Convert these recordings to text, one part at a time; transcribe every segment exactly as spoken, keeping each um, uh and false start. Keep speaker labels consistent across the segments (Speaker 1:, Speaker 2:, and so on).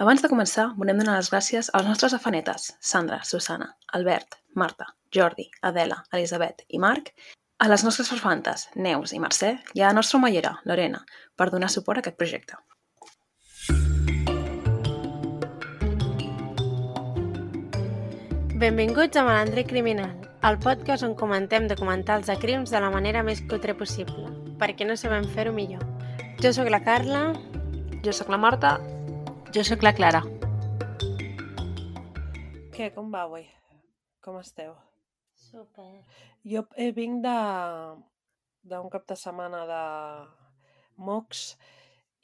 Speaker 1: Abans de començar, volem donar les gràcies als nostres afanetes, Sandra, Susana, Albert, Marta, Jordi, Adela, Elisabet i Marc, a les nostres farfantes, Neus i Mercè, i a la nostra omellera, Lorena, per donar suport a aquest projecte.
Speaker 2: Benvinguts a Malandre Criminal, el podcast on comentem documentals de crims de la manera més cutre possible, perquè no sabem fer-ho millor. Jo sóc la Carla.
Speaker 1: Jo sóc la Marta.
Speaker 3: Jo sóc la Clara.
Speaker 4: Què, com va avui? Com esteu?
Speaker 2: Super.
Speaker 4: Jo eh, vinc de d'un cap de setmana de mocs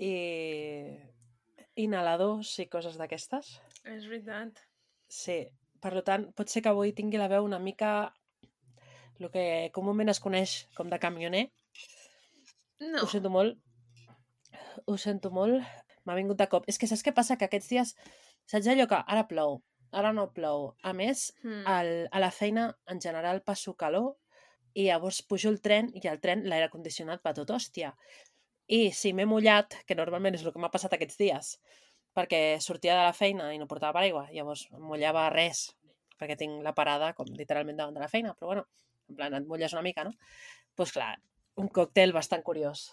Speaker 4: i inhaladors i coses d'aquestes.
Speaker 1: És veritat.
Speaker 4: Sí, per tant, pot ser que avui tingui la veu una mica el que comúment es coneix com de camioner.
Speaker 1: No.
Speaker 4: Ho sento molt. Ho sento molt. M'ha vingut de cop. És que saps què passa? Que aquests dies, saps allò que ara plou, ara no plou. A més,
Speaker 1: Hmm.
Speaker 4: al, a la feina en general passo calor i llavors pujo el tren i al tren l'aire condicionat va tot hòstia. I si m'he mullat, que normalment és el que m'ha passat aquests dies, perquè sortia de la feina i no portava paraigua, llavors em mullava res, perquè tinc la parada com literalment davant de la feina, però bueno, en plan et mulles una mica, no? Doncs pues clar, un còctel bastant curiós.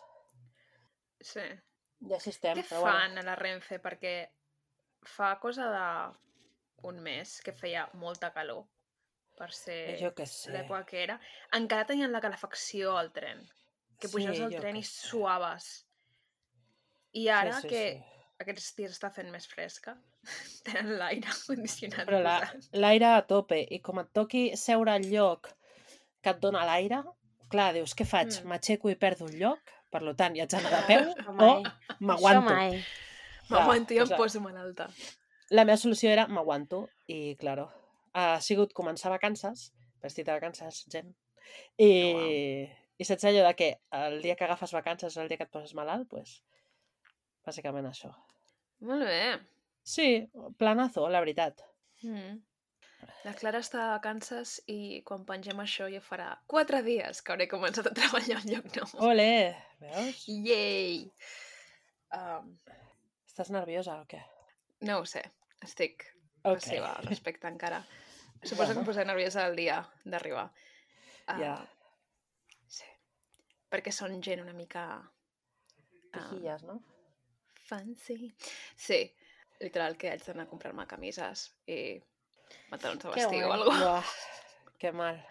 Speaker 1: Sí.
Speaker 4: I així estem,
Speaker 1: Què
Speaker 4: però
Speaker 1: fan
Speaker 4: bueno.
Speaker 1: a la Renfe? Perquè fa cosa de un mes que feia molta calor per ser
Speaker 4: Jo què sé.
Speaker 1: l'època que era. Encara tenien la calefacció al tren. Que
Speaker 4: Sí,
Speaker 1: pujaves al
Speaker 4: jo
Speaker 1: tren
Speaker 4: què
Speaker 1: i
Speaker 4: sé.
Speaker 1: suaves. I ara
Speaker 4: sí,
Speaker 1: que
Speaker 4: sí.
Speaker 1: aquests dies està fent més fresca, tenen l'aire condicionat
Speaker 4: Però la-
Speaker 1: posat.
Speaker 4: l'aire a tope, i com et toqui seure al lloc que et dona l'aire, clar, dius, què faig?
Speaker 1: Mm.
Speaker 4: M'aixeco i perdo el lloc? Per tant, hi haig d'anar de peu
Speaker 2: Això
Speaker 4: o
Speaker 2: mai. Això
Speaker 4: m'aguanto.
Speaker 2: mai.
Speaker 1: M'aguanto i
Speaker 4: Clar,
Speaker 1: em
Speaker 4: o sea,
Speaker 1: poso malalta.
Speaker 4: La meva solució era m'aguanto i, claro, ha sigut començar vacances, vestit de vacances, gent, i,
Speaker 1: Oh,
Speaker 4: i saps allò de que el dia que agafes vacances és el dia que et poses malalt? Pues, bàsicament això.
Speaker 1: Molt bé.
Speaker 4: Sí, planazo, la veritat.
Speaker 1: Mm. La Clara està de vacances i quan pengem això ja farà quatre dies que hauré començat a treballar al lloc nou.
Speaker 4: Ole, veus?
Speaker 1: Yay! Um,
Speaker 4: Estàs nerviosa o què?
Speaker 1: no ho sé, estic
Speaker 4: Ok.
Speaker 1: passiva al respecte encara. Suposo que
Speaker 4: Bueno.
Speaker 1: em posaré nerviosa el dia d'arribar. Uh,
Speaker 4: Ja.
Speaker 1: Sí. Perquè són gent una mica
Speaker 4: Pijilles, no?
Speaker 1: fancy. Sí, literal que haig d'anar a comprar-me camises i pantalons de
Speaker 2: Que
Speaker 1: vestir o
Speaker 2: guai.
Speaker 1: alguna cosa.
Speaker 4: Uah, que mal.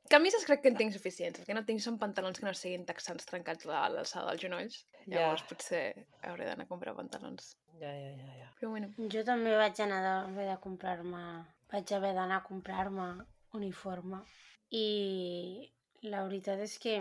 Speaker 1: Camises crec que en tinc suficients. El que no tinc són pantalons que no siguin texans trencats a l'alçada dels genolls.
Speaker 4: Ja.
Speaker 1: Llavors potser hauré d'anar a comprar pantalons.
Speaker 4: Ja, ja, ja, ja.
Speaker 1: Però bueno.
Speaker 2: Jo també vaig anar a haver de comprar-me... Vaig haver d'anar a comprar-me uniforme. I la veritat és que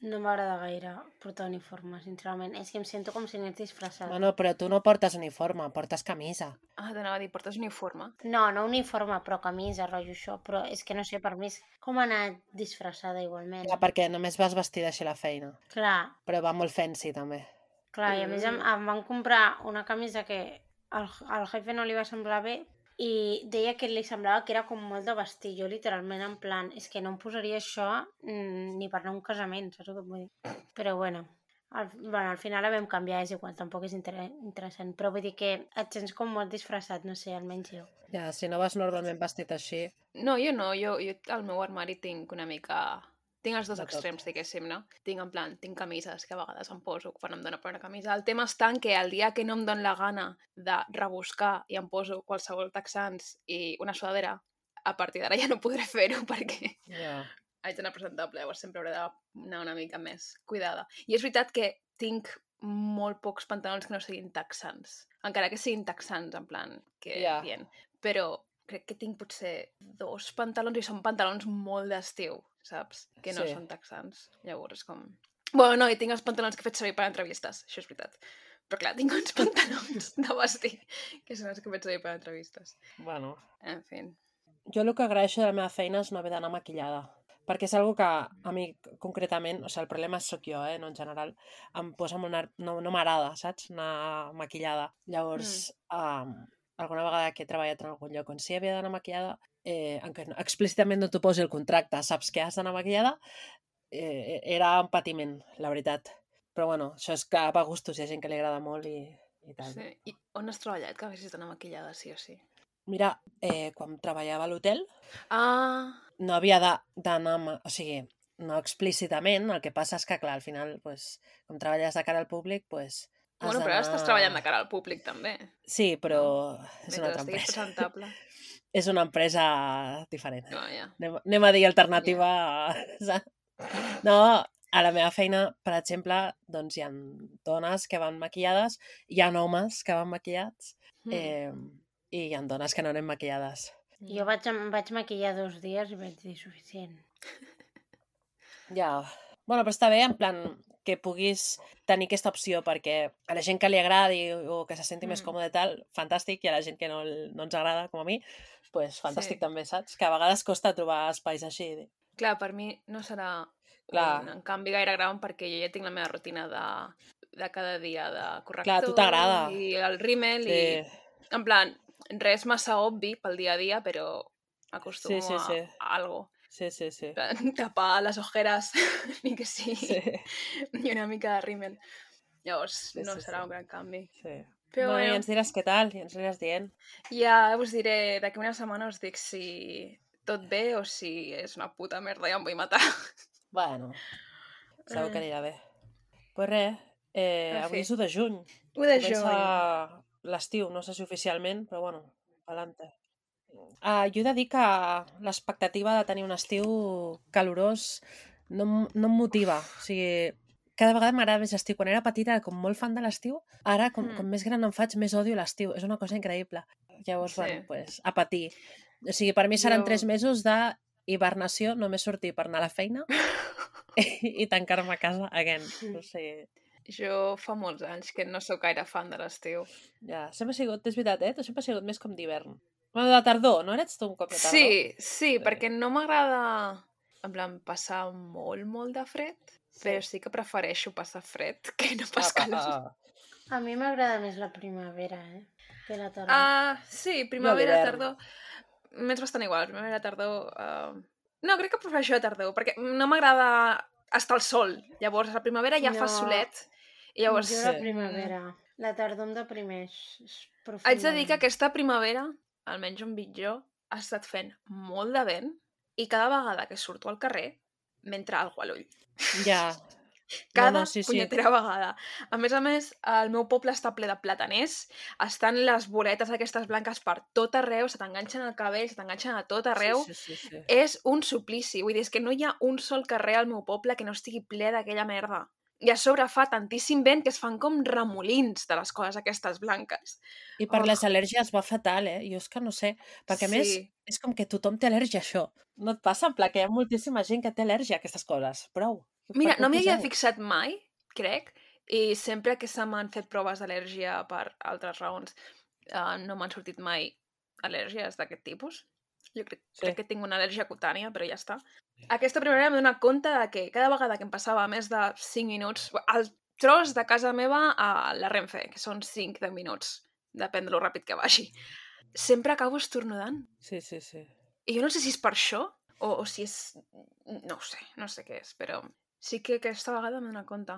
Speaker 2: no m'agrada gaire portar uniforme, sincerament. És que em sento com si anés disfressada.
Speaker 4: Bueno, però tu no portes uniforme, portes camisa.
Speaker 1: Ah, t'anava a dir, portes uniforme?
Speaker 2: No, no uniforme, però camisa, rotllo això. Però és que no sé, per mi és com anar disfressada igualment.
Speaker 4: Clar, perquè només vas vestida així a la feina.
Speaker 2: Clar,
Speaker 4: Però va molt fancy, també.
Speaker 2: clar, i a més em,
Speaker 1: Mm.
Speaker 2: em van comprar una camisa que al, al jefe no li va semblar bé i deia que li semblava que era com molt de vestir. Jo literalment en plan, és que no em posaria això mm, ni per anar a un casament, saps el que et vull dir? Però bueno, al, bueno, al final la vam canviar, és igual, tampoc és inter interessant. Però vull dir que et sents com molt disfressat, no sé, almenys jo.
Speaker 4: Ja, si no vas normalment vestit així...
Speaker 1: No, jo no. Jo, jo al meu armari tinc una mica... Tinc els dos
Speaker 4: De tot.
Speaker 1: extrems, diguéssim, no? Tinc en plan, tinc camises que a vegades em poso quan em dóna per una camisa. El tema està en que el dia que no em dóna la gana de rebuscar i em poso qualsevol texans i una sudadera, a partir d'ara ja no podré fer-ho perquè
Speaker 4: Ja.
Speaker 1: haig d'anar presentable, llavors sempre hauré d'anar una mica més cuidada. I és veritat que tinc molt pocs pantalons que no siguin texans. Encara que siguin texans, en plan, que
Speaker 4: Ja.
Speaker 1: bien. Però crec que tinc potser dos pantalons i són pantalons molt d'estiu, saps? Que no
Speaker 4: Sí.
Speaker 1: són texans. Llavors, com... Bueno, no, i tinc els pantalons que he fet servir per entrevistes, això és veritat. Però clar, tinc uns pantalons de vestir que són els que he fet servir per entrevistes.
Speaker 4: Bueno,
Speaker 1: En fi.
Speaker 4: jo el que agraeixo de la meva feina és no haver d'anar maquillada. Perquè és algo que a mi concretament, o sigui, el problema sóc jo, eh, no en general, em posa molt ner... no, no m'agrada, saps? Anar maquillada. Llavors, mm. um, alguna vegada que he treballat en algun lloc on sí havia d'anar maquillada, eh, encara no, explícitament no t'ho posi el contracte, saps que has d'anar maquillada, eh, era un patiment, la veritat. Però bueno, això és que va a gustos, hi ha gent que li agrada molt i, i tal.
Speaker 1: Sí. I on has treballat que haguessis d'anar maquillada, sí o sí?
Speaker 4: Mira, eh, quan treballava a l'hotel
Speaker 1: Ah,
Speaker 4: no havia de- d'anar... ma- O sigui, no explícitament, el que passa és que, clar, al final, pues, com treballes de cara al públic, pues, has
Speaker 1: bueno, però ara estàs
Speaker 4: d'anar-
Speaker 1: treballant de cara al públic, també.
Speaker 4: Sí, però és
Speaker 1: Mentre
Speaker 4: una altra
Speaker 1: estiguis
Speaker 4: empresa.
Speaker 1: presentable.
Speaker 4: És una empresa diferent.
Speaker 1: No, ja.
Speaker 4: Anem, anem a dir alternativa. Yeah. No, a la meva feina, per exemple, doncs hi ha dones que van maquillades, hi ha homes que van maquillats,
Speaker 1: Mm.
Speaker 4: eh, i hi ha dones que no anem maquillades.
Speaker 2: Jo vaig, em vaig maquillar dos dies i vaig dir suficient.
Speaker 4: Ja, bueno, però està bé, en plan, que puguis tenir aquesta opció perquè a la gent que li agradi o que se senti més
Speaker 1: Mm.
Speaker 4: còmode i tal, fantàstic, i a la gent que no, no ens agrada, com a mi, pues fantàstic
Speaker 1: Sí.
Speaker 4: també, saps? Que a vegades costa trobar espais així.
Speaker 1: Clar, per mi no serà
Speaker 4: Clar.
Speaker 1: un en canvi gaire gran perquè jo ja tinc la meva rutina de, de cada dia de corrector
Speaker 4: Clar, a tu t'agrada.
Speaker 1: i el rímel
Speaker 4: Sí.
Speaker 1: i en plan, res massa obvi pel dia a dia, però acostumo
Speaker 4: Sí, sí, sí.
Speaker 1: a, a algo.
Speaker 4: Sí, sí, sí.
Speaker 1: En plan, tapar les ojeres, ni que sí,
Speaker 4: Sí,
Speaker 1: i una mica de rímel. Llavors,
Speaker 4: Sí,
Speaker 1: no
Speaker 4: sí,
Speaker 1: serà
Speaker 4: sí.
Speaker 1: un gran canvi.
Speaker 4: sí.
Speaker 1: Però
Speaker 4: Bueno, i
Speaker 1: bueno,
Speaker 4: ens diràs què tal, i ens aniràs dient.
Speaker 1: ja us diré, d'aquí una setmana us dic si tot bé o si és una puta merda i em vull matar.
Speaker 4: Bueno, segur que
Speaker 1: Eh.
Speaker 4: anirà bé. Pues res, eh,
Speaker 1: En
Speaker 4: avui
Speaker 1: fi.
Speaker 4: és u de juny.
Speaker 1: u de
Speaker 4: Comença
Speaker 1: juny.
Speaker 4: l'estiu, no sé si oficialment, però bueno, pa'lante. Uh, jo he de dir que l'expectativa de tenir un estiu calorós no, em- no em motiva. O sigui, cada vegada m'agrada més l'estiu. Quan era petita era com molt fan de l'estiu, ara com,
Speaker 1: Mm.
Speaker 4: com més gran em faig més odio l'estiu. És una cosa increïble. Llavors,
Speaker 1: Sí.
Speaker 4: bueno, pues, a patir. O sigui, per mi seran
Speaker 1: Jo-
Speaker 4: tres mesos de hibernació, només sortir per anar a la feina i, i tancar-me a casa again. O sigui,
Speaker 1: Jo fa molts anys que no sóc gaire fan de l'estiu.
Speaker 4: ja, sempre ha sigut, és veritat, eh? Tu sempre has sigut més com d'hivern. Bueno, de tardor, no eres tu un cop de tardor?
Speaker 1: Sí, sí, perquè no m'agrada, en plan, passar molt, molt de fred, però sí que prefereixo passar fred que no pas
Speaker 4: Ah, ah,
Speaker 1: calor.
Speaker 4: ah.
Speaker 2: A mi m'agrada més la primavera, eh? Que la tardor.
Speaker 1: Ah, sí, primavera,
Speaker 4: l'hivern.
Speaker 1: tardor... M'és bastant igual, primavera, tardor... Uh... No, crec que prefereixo la tardor, perquè no m'agrada estar al sol. Llavors, a la primavera ja fa
Speaker 2: No.
Speaker 1: solet, i llavors...
Speaker 2: Jo la
Speaker 4: sí.
Speaker 2: primavera. La tardor em deprimeix. És
Speaker 1: Haig de dir que
Speaker 2: profundament.
Speaker 1: aquesta primavera, almenys on vic jo, ha estat fent molt de vent i cada vegada que surto al carrer m'entra algú a l'ull.
Speaker 4: Ja.
Speaker 1: Cada
Speaker 4: no, no, sí, sí.
Speaker 1: punyetera vegada. A més a més, el meu poble està ple de plataners, estan les boletes aquestes blanques per tot arreu, se t'enganxen al cabell, se t'enganxen a tot arreu.
Speaker 4: Sí, sí, sí, sí.
Speaker 1: És un suplici. Vull dir, és que no hi ha un sol carrer al meu poble que no estigui ple d'aquella merda. I a sobre fa tantíssim vent que es fan com remolins de les coses aquestes blanques.
Speaker 4: I per
Speaker 1: Oh.
Speaker 4: les al·lèrgies va fatal, eh? Jo és que no sé. Perquè, a més,
Speaker 1: Sí.
Speaker 4: és com que tothom té al·lèrgia a això. No et passa? En pla, que hi ha moltíssima gent que té al·lèrgia a aquestes coses. Prou.
Speaker 1: Mira,
Speaker 4: Per què
Speaker 1: no m'hi havia
Speaker 4: poseu?
Speaker 1: fixat mai, crec, i sempre que se m'han fet proves d'al·lèrgia per altres raons, uh, no m'han sortit mai al·lèrgies d'aquest tipus. Jo crec,
Speaker 4: Sí.
Speaker 1: crec que tinc una al·lèrgia cutània, però ja està. Aquesta primavera m'he donat compte de que cada vegada que em passava més de cinc minuts, el tros de casa meva a la Renfe, que són cinc deu minuts, depèn de lo ràpid que vagi, sempre acabo estornudant.
Speaker 4: Sí, sí, sí.
Speaker 1: I jo no sé si és per això o, o si és... No ho sé, no sé què és, però sí que aquesta vegada m'he donat compte.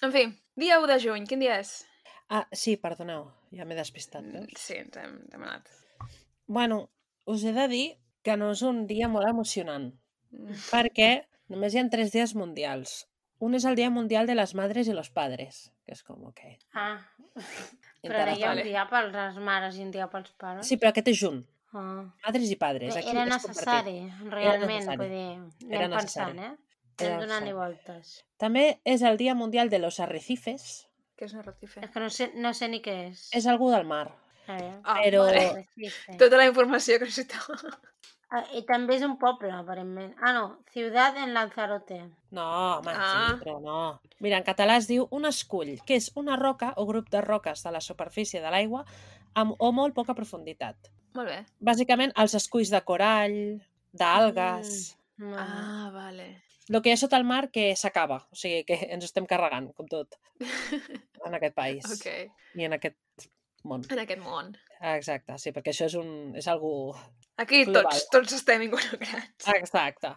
Speaker 1: En fi, dia u de juny, quin dia és?
Speaker 4: Ah, sí, perdoneu. Ja m'he despistat,
Speaker 1: Mm,
Speaker 4: veus?
Speaker 1: Sí, ens hem, ens hem anat.
Speaker 4: Bueno, us he de dir que no és un dia molt emocionant,
Speaker 1: Mm.
Speaker 4: perquè només hi ha tres dies mundials. Un és el Dia Mundial de les Madres y los Padres, que és com, ok.
Speaker 2: Ah, però ara hi ha
Speaker 4: Interessant.
Speaker 2: un dia per les mares i un dia pels pares.
Speaker 4: Sí, però aquest és junt.
Speaker 2: Ah.
Speaker 4: Madres i padres.
Speaker 2: Bé,
Speaker 4: Aquí
Speaker 2: era
Speaker 4: és
Speaker 2: necessari,
Speaker 4: compartit.
Speaker 2: realment,
Speaker 4: necessari.
Speaker 2: vull dir,
Speaker 4: Era
Speaker 2: anem
Speaker 4: necessari.
Speaker 2: pensant, eh?
Speaker 4: Era
Speaker 2: Anem donant-hi
Speaker 4: necessari.
Speaker 2: voltes.
Speaker 4: També és el Dia Mundial de los Arrecifes.
Speaker 1: Què és un arrecife?
Speaker 2: És que no sé, no sé ni què és.
Speaker 4: És algú del mar.
Speaker 2: A veure.
Speaker 1: Ah,
Speaker 4: però-
Speaker 1: vale.
Speaker 2: Arrecife.
Speaker 1: Tota la informació que necessitava.
Speaker 2: Ah, I també és un poble, aparentment. Ah, no, Ciudad en Lanzarote.
Speaker 4: No, home,
Speaker 1: Ah.
Speaker 4: sí, però no. Mira, en català es diu un escull, que és una roca o grup de roques de la superfície de l'aigua amb o molt poca profunditat.
Speaker 1: Molt bé.
Speaker 4: Bàsicament, els esculls de corall, d'algues...
Speaker 2: Mm, molt bé.
Speaker 1: Ah, vale.
Speaker 4: El que hi ha sota el mar que s'acaba. O sigui, que ens estem carregant, com tot, en aquest país.
Speaker 1: Ok.
Speaker 4: I en aquest món.
Speaker 1: En aquest món.
Speaker 4: Ah, exacte, sí, perquè això és, un, és algú...
Speaker 1: Aquí
Speaker 4: Global.
Speaker 1: tots, tots estem involucrats.
Speaker 4: Exacte.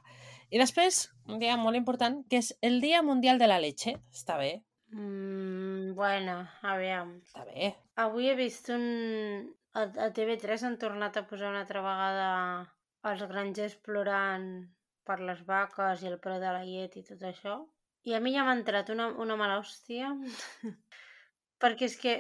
Speaker 4: I després, un dia molt important, que és el Dia Mundial de la Leche. Està bé.
Speaker 2: Mm, bueno, aviam.
Speaker 4: Està bé.
Speaker 2: Avui he vist un... A, a T V tres han tornat a posar una altra vegada els grangers plorant per les vaques i el preu de la llet i tot això. I a mi ja m'ha entrat una, una mala hòstia. Perquè és que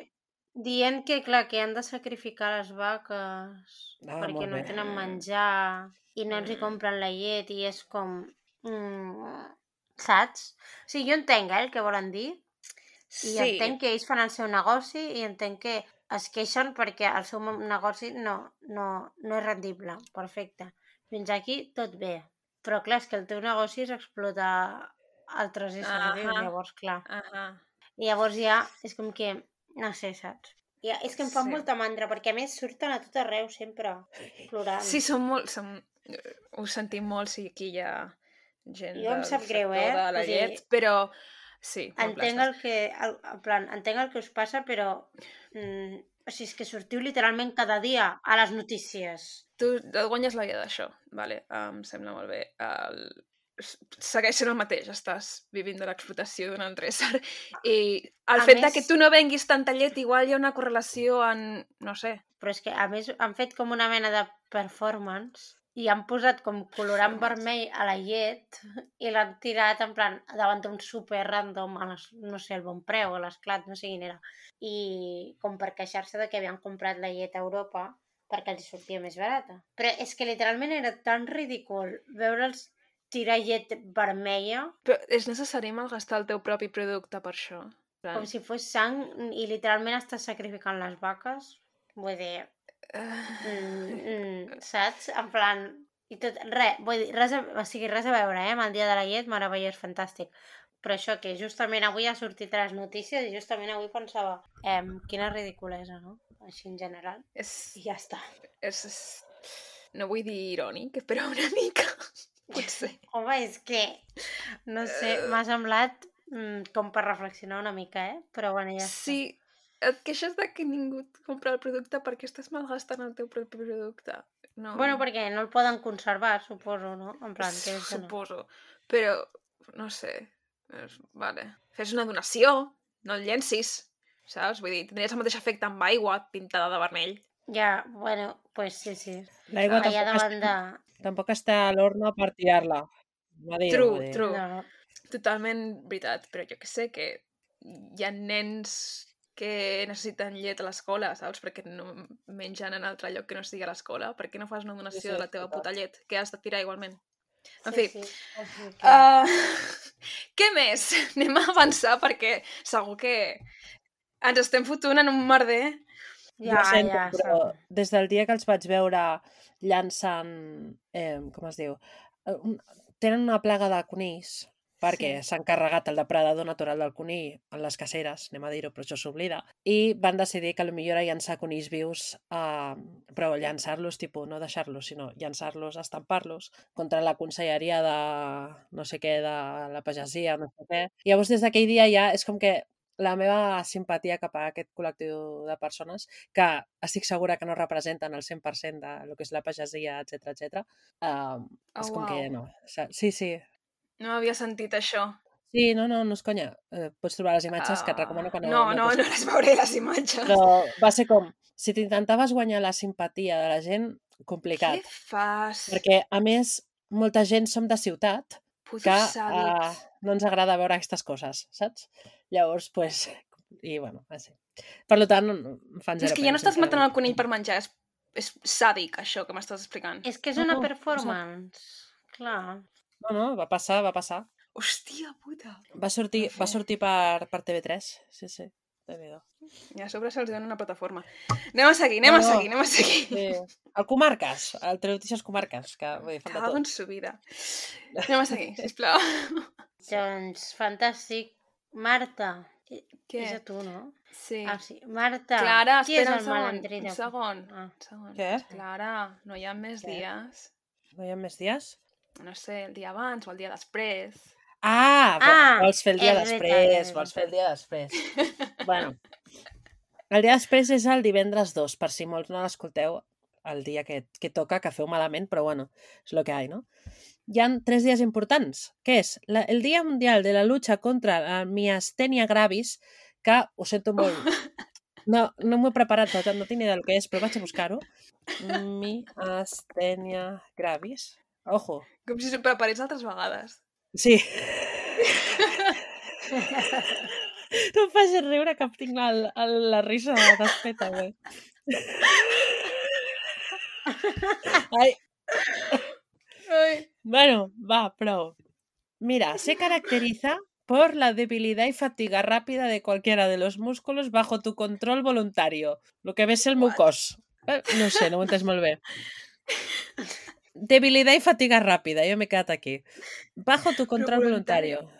Speaker 2: dient que, clar, que han de sacrificar les vaques
Speaker 4: Ah,
Speaker 2: perquè
Speaker 4: molt
Speaker 2: no
Speaker 4: bé.
Speaker 2: tenen menjar i no els hi
Speaker 1: Mm.
Speaker 2: compren la llet i és com... Mm, saps? O sigui, jo entenc eh, el que volen dir i
Speaker 1: Sí,
Speaker 2: entenc que ells fan el seu negoci i entenc que es queixen perquè el seu mo- negoci no, no, no és rendible. Perfecte. Fins aquí tot bé. Però clar, és que el teu negoci és explotar altres éssers vius,
Speaker 1: Ahà.
Speaker 2: llavors clar.
Speaker 1: ahà,
Speaker 2: I llavors ja és com que, no sé, saps? Ja, és que em fa
Speaker 1: Sí.
Speaker 2: molta mandra, perquè a més surten a tot arreu sempre, plorant.
Speaker 1: Sí, són molt... Són... Ho sentim molt, sí, aquí hi ha gent
Speaker 2: Jo em
Speaker 1: del
Speaker 2: sap greu,
Speaker 1: sector
Speaker 2: eh?
Speaker 1: de la
Speaker 2: Vull dir,
Speaker 1: llet, però sí, molt
Speaker 2: entenc
Speaker 1: plastes.
Speaker 2: el que, el, en plan, entenc el que us passa, però mm, o sigui, és que sortiu literalment cada dia a les notícies.
Speaker 1: Tu et guanyes la vida d'això, vale? Em sembla molt bé. El... Segueix sent el mateix, estàs vivint de l'explotació d'un altre ésser. I el
Speaker 2: A
Speaker 1: fet de
Speaker 2: més-
Speaker 1: que tu no venguis tanta llet, igual hi ha una correlació en... no sé.
Speaker 2: Però és que, a més, han fet com una mena de performance i han posat com colorant
Speaker 1: Performance.
Speaker 2: vermell a la llet i l'han tirat en plan davant d'un super random a les, no sé, el Bon Preu, a l'Esclat, no sé quin era. I com per queixar-se de que havien comprat la llet a Europa perquè els sortia més barata. Però és que literalment era tan ridícul veure'ls tirar llet vermella
Speaker 1: Però és necessari malgastar el teu propi producte per això? En plan,
Speaker 2: com si fos sang i literalment estàs sacrificant les vaques. Vull dir,
Speaker 1: eh,
Speaker 2: mm, mm, saps? En plan... I tot, res, vull dir, res a, o sigui, res a veure, eh? Amb el dia de la llet, meravellós, fantàstic. Però això que justament avui ha sortit a les notícies i justament avui pensava eh, quina ridiculesa, no? Així en general.
Speaker 1: és,
Speaker 2: I ja està.
Speaker 1: és, és... No vull dir irònic, però una mica, potser.
Speaker 2: Home, és que, no sé, m'ha semblat mm, com per reflexionar una mica, eh? Però bueno, ja està.
Speaker 1: Sí, et queixes de que ningú et compra el producte perquè estàs malgastant el teu propi producte. No.
Speaker 2: Bueno, perquè no el poden conservar, suposo, no? En plan, que és que no.
Speaker 1: Suposo. Però, no sé, és, vale. Fes una donació, no el llencis, saps? Vull dir, tindries el mateix efecte amb aigua pintada de vermell.
Speaker 2: Ja, bueno, pues sí, sí.
Speaker 4: L'aigua
Speaker 2: Allà
Speaker 4: tampoc,
Speaker 2: davant de...
Speaker 4: està, tampoc està a l'horno per tirar-la. Va dir,
Speaker 1: True,
Speaker 4: va dir.
Speaker 1: true.
Speaker 2: No,
Speaker 1: Totalment veritat, però jo que sé que hi ha nens que necessiten llet a l'escola, saps? Perquè no mengen en altre lloc que no sigui a l'escola. Per què no fas una donació
Speaker 4: Sí, sí,
Speaker 1: de la teva
Speaker 4: total.
Speaker 1: puta llet que has de tirar igualment? En
Speaker 2: sí,
Speaker 1: fi,
Speaker 2: sí. Així que...
Speaker 1: uh, què més? Anem a avançar perquè segur que ens estem fotent en un merder.
Speaker 2: ja,
Speaker 4: Jo sento,
Speaker 2: ja,
Speaker 4: però
Speaker 2: sap.
Speaker 4: des del dia que els vaig veure llançant, eh, com es diu, Eh, un, tenen una plaga de conills, perquè
Speaker 2: Sí.
Speaker 4: s'han carregat el depredador natural del conill en les caceres, anem a dir-ho, però això s'oblida, i van decidir que potser era llançar conills vius, eh, però llançar-los, tipus, no deixar-los, sinó llançar-los, estampar-los, contra la conselleria de no sé què, de la pagesia, no sé què. I llavors, des d'aquell dia ja és com que la meva simpatia cap a aquest col·lectiu de persones, que estic segura que no representen el cent per cent de lo que és la pagesia, etcètera, etcètera, uh,
Speaker 1: Oh,
Speaker 4: és com que
Speaker 1: uau.
Speaker 4: no. sa- Sí, sí.
Speaker 1: No havia sentit això.
Speaker 4: Sí, no, no, no és conya. Eh, pots trobar les imatges, que et
Speaker 1: Ah,
Speaker 4: recomano que no...
Speaker 1: no, no, no les veuré, les imatges.
Speaker 4: Però va ser com, si t'intentaves guanyar la simpatia de la gent,
Speaker 1: Què
Speaker 4: complicat.
Speaker 1: fas?
Speaker 4: Perquè, a més, molta gent som de ciutat,
Speaker 1: Putos
Speaker 4: que uh,
Speaker 1: sàdics.
Speaker 4: no ens agrada veure aquestes coses, saps? Llavors, pues, i bueno, així. Per tant, no, no, em fan
Speaker 1: És
Speaker 4: zero
Speaker 1: que ja no
Speaker 4: pena,
Speaker 1: estàs matant el
Speaker 4: sincerament.
Speaker 1: conill per menjar, és, és sàdic, això que m'estàs explicant.
Speaker 2: És que és
Speaker 4: No,
Speaker 2: una
Speaker 4: no,
Speaker 2: performance. Clar.
Speaker 4: No, no, va passar, va passar.
Speaker 1: Hòstia puta.
Speaker 4: Va sortir,
Speaker 1: En fi.
Speaker 4: va sortir per, per T V tres, sí, sí. Déu-n'hi-do.
Speaker 1: I a sobre se'ls dona una plataforma. Anem a seguir, anem
Speaker 4: No,
Speaker 1: a
Speaker 4: no.
Speaker 1: seguir, anem a seguir.
Speaker 4: Sí. El Comarques, el Telenotícies Comarques, que vull dir, fan de
Speaker 1: Cago en
Speaker 4: tot.
Speaker 1: su vida. Anem a seguir, sisplau.
Speaker 2: Doncs, fantàstic. Marta, i-
Speaker 1: Què?
Speaker 2: és a tu, no?
Speaker 1: Sí.
Speaker 2: Ah, sí. Marta,
Speaker 1: Clara,
Speaker 2: qui és
Speaker 1: espera
Speaker 2: el
Speaker 1: un segon,
Speaker 2: malandrí de...
Speaker 1: un segon,
Speaker 2: Ah.
Speaker 1: un segon.
Speaker 4: Què?
Speaker 1: Clara, no hi ha més
Speaker 4: Què?
Speaker 1: dies?
Speaker 4: No hi ha més dies?
Speaker 1: No sé, el dia abans o el dia després.
Speaker 4: Ah, vo-
Speaker 2: Ah,
Speaker 4: vols fer el dia
Speaker 2: és veritat,
Speaker 4: després,
Speaker 2: és
Speaker 4: vols fer el dia després. Bueno, el dia després és el divendres dos, per si molts no l'escolteu el dia que, que toca, que feu malament, però bueno, és lo que hay, no? Hi ha tres dies importants, que és la, el Dia Mundial de la Lucha contra la Miastènia Gravis, que, ho sento molt, no, no m'ho he preparat tot, no tinc ni idea del que és, però vaig a buscar-ho. Miastènia Gravis. Ojo.
Speaker 1: Com si s'ho preparés altres vegades.
Speaker 4: Sí. No em facis riure que tinc la, la, la risa desfeta, güey. Ai.
Speaker 1: Ai.
Speaker 4: Bueno, va, prou. Mira, se caracteriza por la debilidad y fatiga rápida de cualquiera de los músculos bajo tu control voluntario. Lo que ves el meu cos. Eh, No sé, no ho he entès molt bé. Debilidad y fatiga rápida, yo me he quedat aquí. Bajo tu control voluntario.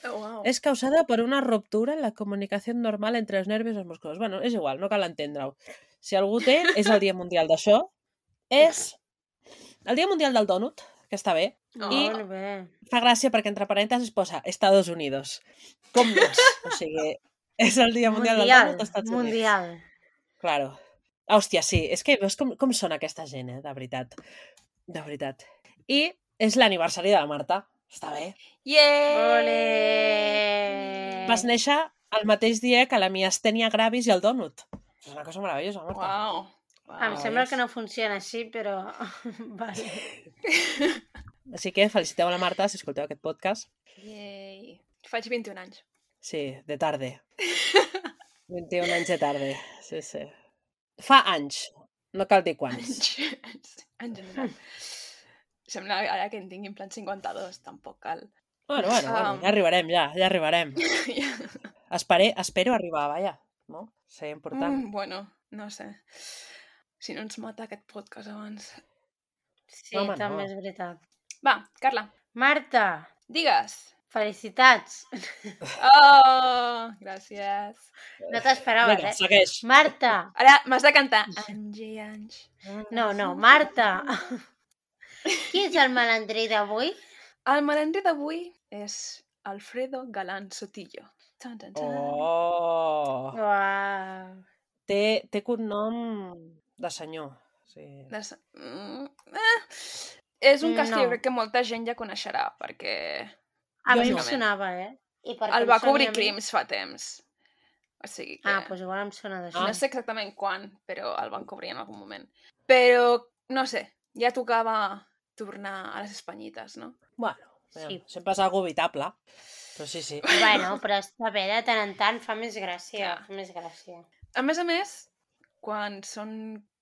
Speaker 1: Oh, wow.
Speaker 4: Es causada por una ruptura en la comunicación normal entre els nervis i els músculs. Bueno, és igual, no cal entendre-ho. Si algú té, és el Dia Mundial d'això. És el Dia Mundial del Dònut, que està bé.
Speaker 1: Oh.
Speaker 4: I
Speaker 2: Molt bé.
Speaker 4: fa gràcia perquè entre parèntesis posa Estados Unidos. Com no és? O sigui, és el Dia Mundial,
Speaker 2: Mundial,
Speaker 4: del Dònut als Estats Units.
Speaker 2: mundial.
Speaker 4: Claro. Hòstia, sí. És que veus com, com són aquesta gent, eh? De veritat. De veritat. I és l'aniversari de la Marta. Està bé.
Speaker 1: Yeah!
Speaker 2: Ole!
Speaker 4: Vas néixer el mateix dia que la miastènia gravis i el dònut. És una cosa meravellosa, Marta.
Speaker 1: Wow. wow.
Speaker 2: Em sembla que no funciona així, però... vale.
Speaker 4: Així que feliciteu a la Marta si escolteu aquest podcast.
Speaker 1: Yay. Faig vint-i-un anys.
Speaker 4: Sí, de tarde. vint-i-un anys de tarde. Sí, sí. Fa anys. No cal dir quants.
Speaker 1: Anys. En general. Sembla ara que en tinc en plan cinquanta-dos, tampoc cal.
Speaker 4: Bueno, bueno, bueno,
Speaker 1: Um.
Speaker 4: ja arribarem, ja, ja arribarem. Espere, espero arribar, vaja. No? Seria important.
Speaker 1: Mm, bueno, no sé. Si no ens mata aquest podcast abans.
Speaker 2: Sí,
Speaker 4: Home,
Speaker 2: també
Speaker 4: no.
Speaker 2: és veritat.
Speaker 1: Va, Carla,
Speaker 2: Marta,
Speaker 1: digues.
Speaker 2: felicitats.
Speaker 1: Oh, gràcies.
Speaker 2: No t'esperaves,
Speaker 4: Vinga,
Speaker 2: eh?
Speaker 4: segueix.
Speaker 2: Marta.
Speaker 1: Ara m'has de cantar. Anys i anys.
Speaker 2: No, no, Marta. Qui és el malandrí d'avui?
Speaker 1: El malandrí d'avui és Alfredo Galán Sotillo. Tan, tan, tan.
Speaker 4: Oh!
Speaker 2: Uau.
Speaker 4: Té, té cognom de senyor. Sí.
Speaker 1: Des... Mm, eh. És un cas que
Speaker 2: No.
Speaker 1: jo crec que molta gent ja coneixerà, perquè
Speaker 2: A
Speaker 4: Jo
Speaker 2: mi
Speaker 4: no.
Speaker 2: em sonava, eh? I perquè
Speaker 1: el
Speaker 2: em
Speaker 1: va
Speaker 2: soni
Speaker 1: cobrir
Speaker 2: a mi-
Speaker 1: Crims fa temps. O sigui que...
Speaker 2: Ah, doncs igual em sona d'això.
Speaker 1: No sé exactament quan, però el van cobrir en algun moment. Però, no sé, ja tocava tornar a les espanyites, no?
Speaker 4: Bueno,
Speaker 2: Sí.
Speaker 4: sí. sempre és algo evitable. Però sí, sí.
Speaker 2: Bueno, però està bé, de tant en tant fa més gràcia.
Speaker 1: Clar.
Speaker 2: Fa més gràcia.
Speaker 1: A més a més, quan són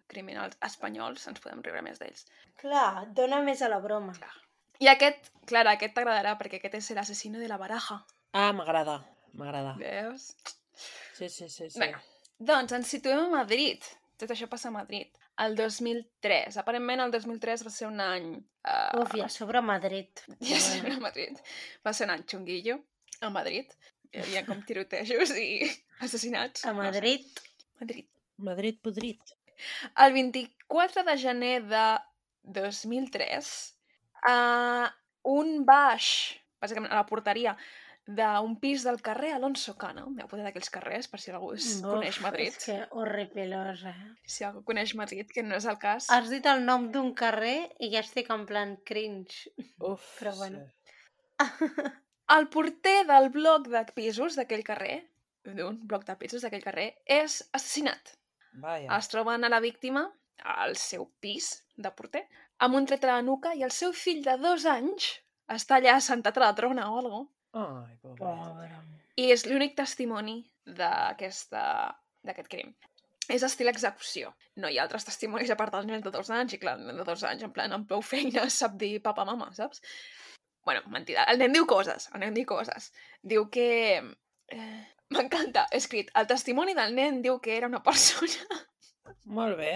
Speaker 1: criminals espanyols, ens podem riure més d'ells.
Speaker 2: Clar, dona més a la broma.
Speaker 1: I aquest, Clara, aquest t'agradarà, perquè aquest és l'assassino de la baraja.
Speaker 4: Ah, m'agrada, m'agrada.
Speaker 1: Veus?
Speaker 4: Sí, sí, sí. sí.
Speaker 1: Bueno, doncs ens situem a Madrid. Tot això passa a Madrid. El dos mil tres. Aparentment el dos mil tres va ser un any... Uh,
Speaker 2: Uf, i a sobre Madrid.
Speaker 1: Ja sé, a Madrid. Va ser un any xunguillo a Madrid. Hi havia com tirotejos i assassinats.
Speaker 2: A Madrid.
Speaker 1: No sé. Madrid.
Speaker 4: Madrid podrit.
Speaker 1: El vint-i-quatre de gener de dos mil tres, uh, un baix, bàsicament a la porteria, d'un pis del carrer Alonso Cano, m'heu posat aquells carrers, per si algú es
Speaker 2: Uf,
Speaker 1: coneix Madrid.
Speaker 2: És que horripilós, eh?
Speaker 1: Si algú coneix Madrid, que no és el cas.
Speaker 2: Has dit el nom d'un carrer i ja estic en plan cringe.
Speaker 4: Uf,
Speaker 2: Però bueno.
Speaker 4: sí.
Speaker 1: El porter del bloc de pisos d'aquell carrer, d'un bloc de pisos d'aquell carrer, és assassinat.
Speaker 4: Vaja.
Speaker 1: Es troben a la víctima, al seu pis de porter, amb un tret a la nuca i el seu fill de dos anys està allà assentat a la trona o alguna cosa.
Speaker 4: Ai, pobret.
Speaker 2: Pobre.
Speaker 1: I és l'únic testimoni d'aquesta d'aquest crim. És estil execució. No hi ha altres testimonis a part del nen de dos anys, i clar, el nen de dos anys, en plan, amb prou feina, sap dir papa, mama, saps? Bueno, mentida. El nen diu coses, el nen diu coses. Diu que... Eh, M'encanta, he escrit, el testimoni del nen diu que era una persona
Speaker 4: Molt bé.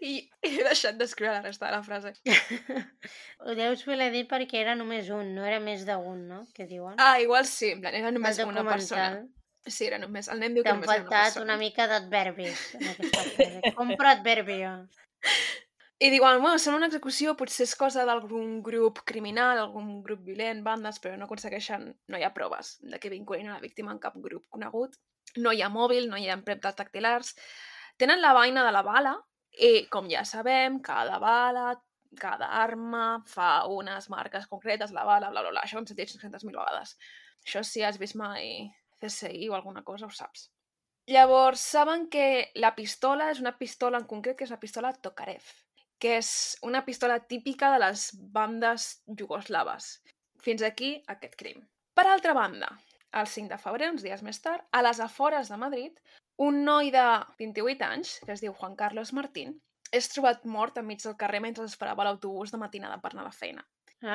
Speaker 1: i he deixat d'escriure la resta de la frase.
Speaker 2: Ho deus voler dir perquè era només un, no era més d'un, no? Que diuen.
Speaker 1: Ah, igual sí, en plan, era
Speaker 2: El
Speaker 1: només una persona.
Speaker 2: documental.
Speaker 1: Sí, era només, el nen diu que
Speaker 2: T'han
Speaker 1: només era una
Speaker 2: faltat
Speaker 1: persona.
Speaker 2: una mica d'adverbis en aquesta frase. Compro adverbio.
Speaker 1: I diuen, bueno, sembla una execució, potser és cosa d'algun grup criminal, algun grup violent, bandes, però no aconsegueixen, no hi ha proves de que vinculin a la víctima en cap grup conegut. No hi ha mòbil, no hi ha empremtes dactilars. Tenen la vaina de la bala I, com ja sabem, cada bala, cada arma fa unes marques concretes, la bala, bla, bla, bla. Això ho hem sentit cinc-centes mil vegades. Això si has vist mai C S I o alguna cosa, ho saps. Llavors, saben que la pistola és una pistola en concret, que és la pistola Tokarev, que és una pistola típica de les bandes jugoslaves. Fins aquí aquest crim. Per altra banda, el cinc de febrer, uns dies més tard, a les afores de Madrid, un noi de vint-i-vuit anys, que es diu Juan Carlos Martín, és trobat mort enmig del carrer mentre esperava l'autobús de matinada per anar a la feina.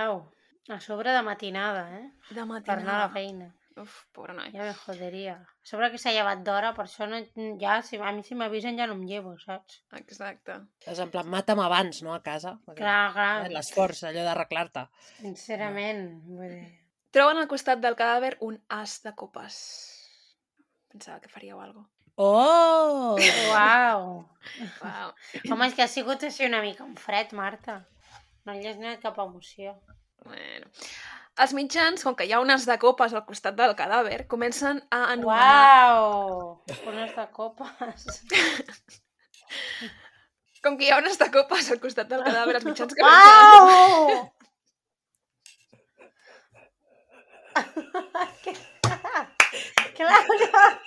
Speaker 2: Au, a sobre de matinada, eh?
Speaker 1: De matinada.
Speaker 2: Per anar a la feina.
Speaker 1: Uf, pobre noi.
Speaker 2: Ja me joderia. A sobre que s'ha llevat d'hora, per això no, ja, si, a mi si m'avisen ja no em llevo, saps?
Speaker 1: Exacte.
Speaker 4: És en plan, mata'm abans, no, a casa. Perquè,
Speaker 2: Clar, clar.
Speaker 4: eh, l'esforç, allò d'arreglar-te.
Speaker 2: Sincerament, vull dir...
Speaker 1: Troben al costat del cadàver un as de copes. Pensava que faríeu alguna cosa.
Speaker 4: Oh!
Speaker 2: Uau!
Speaker 1: Wow.
Speaker 2: Home, és que ha sigut així una mica un fred, Marta. No hi has anat cap emoció.
Speaker 1: Bueno. Els mitjans, com que hi ha unes de copes al costat del cadàver, comencen a anomenar...
Speaker 2: Uau! Unes de copes.
Speaker 1: Com que hi ha unes de copes al costat del cadàver, els mitjans comencen a...
Speaker 2: Uau! Clara!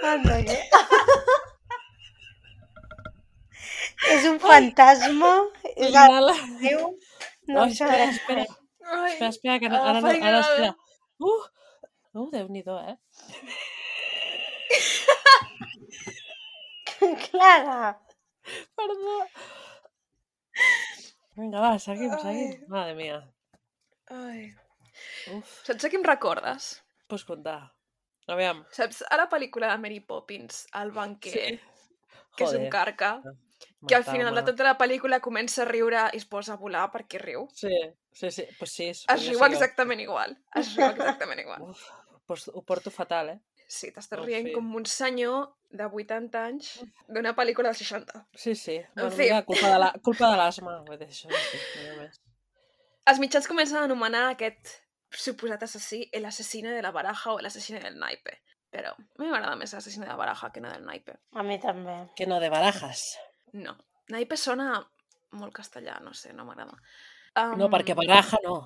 Speaker 2: Anda, que... És un fantasma. És el Déu. No
Speaker 4: Oh,
Speaker 2: ho
Speaker 4: espera,
Speaker 2: sabré.
Speaker 4: espera.
Speaker 1: Ai,
Speaker 4: Espera, espera, que no, ara no,
Speaker 1: agafa
Speaker 4: ara
Speaker 1: el-
Speaker 4: espera. Uh! Uh, Déu-n'hi-do, eh?
Speaker 2: Clara.
Speaker 4: Perdó. Vinga, va, seguim,
Speaker 1: Ai.
Speaker 4: seguim. Madre mia.
Speaker 1: Ai.
Speaker 4: Uf,
Speaker 1: Saps a qui em recordes?
Speaker 4: pots contar. Aviam.
Speaker 1: Saps a la pel·lícula de Mary Poppins, el banquer, que és un
Speaker 4: Joder.
Speaker 1: carca, que al final de
Speaker 4: Mata'm.
Speaker 1: tota la pel·lícula comença a riure i es posa a volar perquè riu?
Speaker 4: Sí, sí, sí. Pues sí,
Speaker 1: Es
Speaker 4: podria
Speaker 1: riu
Speaker 4: ser jo.
Speaker 1: exactament igual. Es riu exactament igual.
Speaker 4: Uf, pues ho porto fatal, eh?
Speaker 1: Sí, t'estàs
Speaker 4: En
Speaker 1: rient
Speaker 4: fi.
Speaker 1: com un senyor de vuitanta anys d'una pel·lícula dels seixanta.
Speaker 4: Sí, sí. Bueno,
Speaker 1: fi.
Speaker 4: mira, culpa de la, culpa de l'asma. Vull dir, això sí, no hi ha més.
Speaker 1: Els mitjans comencen a anomenar aquest suposat assassí el asesino de la baraja o el asesino del naipe. Però a mi m'agrada més l'assassino de la baraja que no del naipe.
Speaker 2: A mi també.
Speaker 4: Que no de barajas.
Speaker 1: No. Naipe sona molt castellà, no sé, no m'agrada. Um,
Speaker 4: No, perquè baraja no.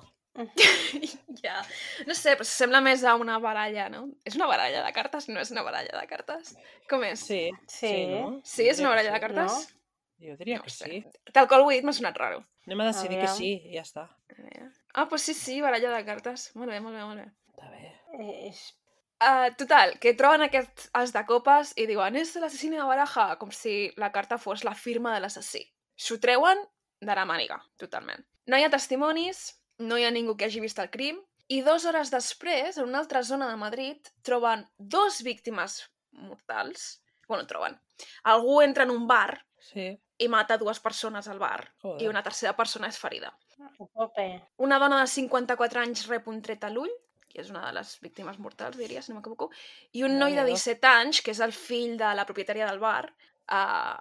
Speaker 1: Ja. No sé, però sembla més a una baralla, no? És una baralla de cartes? No és una baralla de cartes? Com és?
Speaker 4: Sí,
Speaker 2: Sí.
Speaker 4: no?
Speaker 1: Sí, és una
Speaker 4: Jo diria
Speaker 1: baralla de
Speaker 4: que
Speaker 1: cartes?
Speaker 2: No.
Speaker 4: Jo diria
Speaker 1: No
Speaker 4: que
Speaker 1: ho sé.
Speaker 4: sí.
Speaker 1: Tal qual ho he dit m'ha sonat raro.
Speaker 4: Anem a decidir que
Speaker 2: Aviam.
Speaker 4: sí i ja està.
Speaker 1: A veure. Ah, doncs sí, sí, baralla de cartes. Molt bé, molt bé, molt bé.
Speaker 4: Està bé.
Speaker 2: Eh, És...
Speaker 1: Uh, total, que troben aquest as de copes i diuen és l'assassí de baraja, com si la carta fos la firma de l'assassí. S'ho treuen de la màniga, totalment. No hi ha testimonis, no hi ha ningú que hagi vist el crim, i dues hores després, en una altra zona de Madrid, troben dos víctimes mortals. Bueno, troben. Algú entra en un bar
Speaker 4: Sí.
Speaker 1: i mata dues persones al bar,
Speaker 4: Joder.
Speaker 1: i una tercera persona és ferida.
Speaker 2: A tope.
Speaker 1: Una dona de cinquanta-quatre anys rep un tret a l'ull, que és una de les víctimes mortals, diria, si no m'equivoco, i un noi de
Speaker 4: Déu-n'hi-do.
Speaker 1: disset anys, que és el fill de la propietària del bar, uh,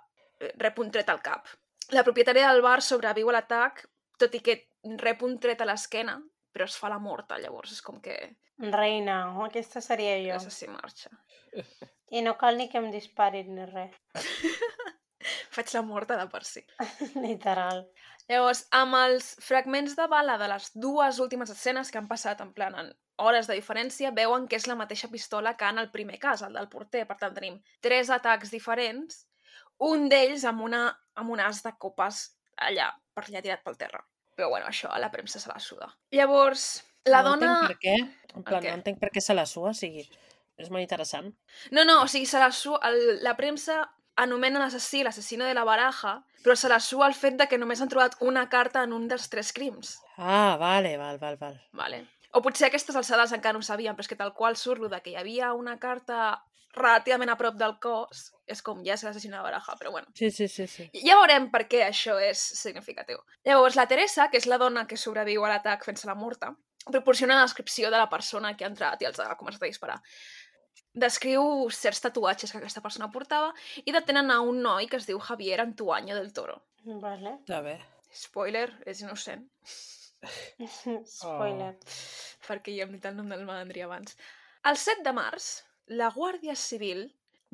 Speaker 1: rep un tret al cap. La propietària del bar sobreviu a l'atac, tot i que rep un tret a l'esquena, però es fa la morta, llavors és com que
Speaker 2: Reina, aquesta seria jo.
Speaker 1: l'assassí marxa.
Speaker 2: I no cal ni que em disparin ni res.
Speaker 1: Faig la morta de per si.
Speaker 2: Literal.
Speaker 1: Llavors, amb els fragments de bala de les dues últimes escenes que han passat en plan en hores de diferència, veuen que és la mateixa pistola que en el primer cas, el del porter. Per tant, tenim tres atacs diferents, un d'ells amb, una, amb un as de copes allà, per allà tirat pel terra. Però bueno, això a la premsa se la suda. Llavors, la
Speaker 4: no
Speaker 1: dona...
Speaker 4: entenc per què. En plan,
Speaker 1: què?
Speaker 4: no entenc per què se la sua, o sigui, és molt interessant.
Speaker 1: No, no, o sigui, se la, su... el, la premsa anomena l'assassí l'assassino de la baraja, però se la sua el fet de que només han trobat una carta en un dels tres crims.
Speaker 4: Ah, vale, val, val, val.
Speaker 1: Vale. O potser a aquestes alçades encara no ho sabien, però és que tal qual surt lo de que hi havia una carta relativament a prop del cos, és com ja és l'assassino de la baraja, però bueno.
Speaker 4: Sí, sí, sí, sí.
Speaker 1: Ja veurem per què això és significatiu. Llavors, la Teresa, que és la dona que sobreviu a l'atac fent-se la morta, proporciona una descripció de la persona que ha entrat i els ha començat a disparar. Descriu certs tatuatges que aquesta persona portava i detenen a un noi que es diu Javier Antuaño del Toro.
Speaker 2: Vale.
Speaker 4: Està bé.
Speaker 1: Spoiler, és innocent,
Speaker 2: Spoiler.
Speaker 1: perquè ja hem dit el nom del malandrí abans. El set de març, la Guàrdia Civil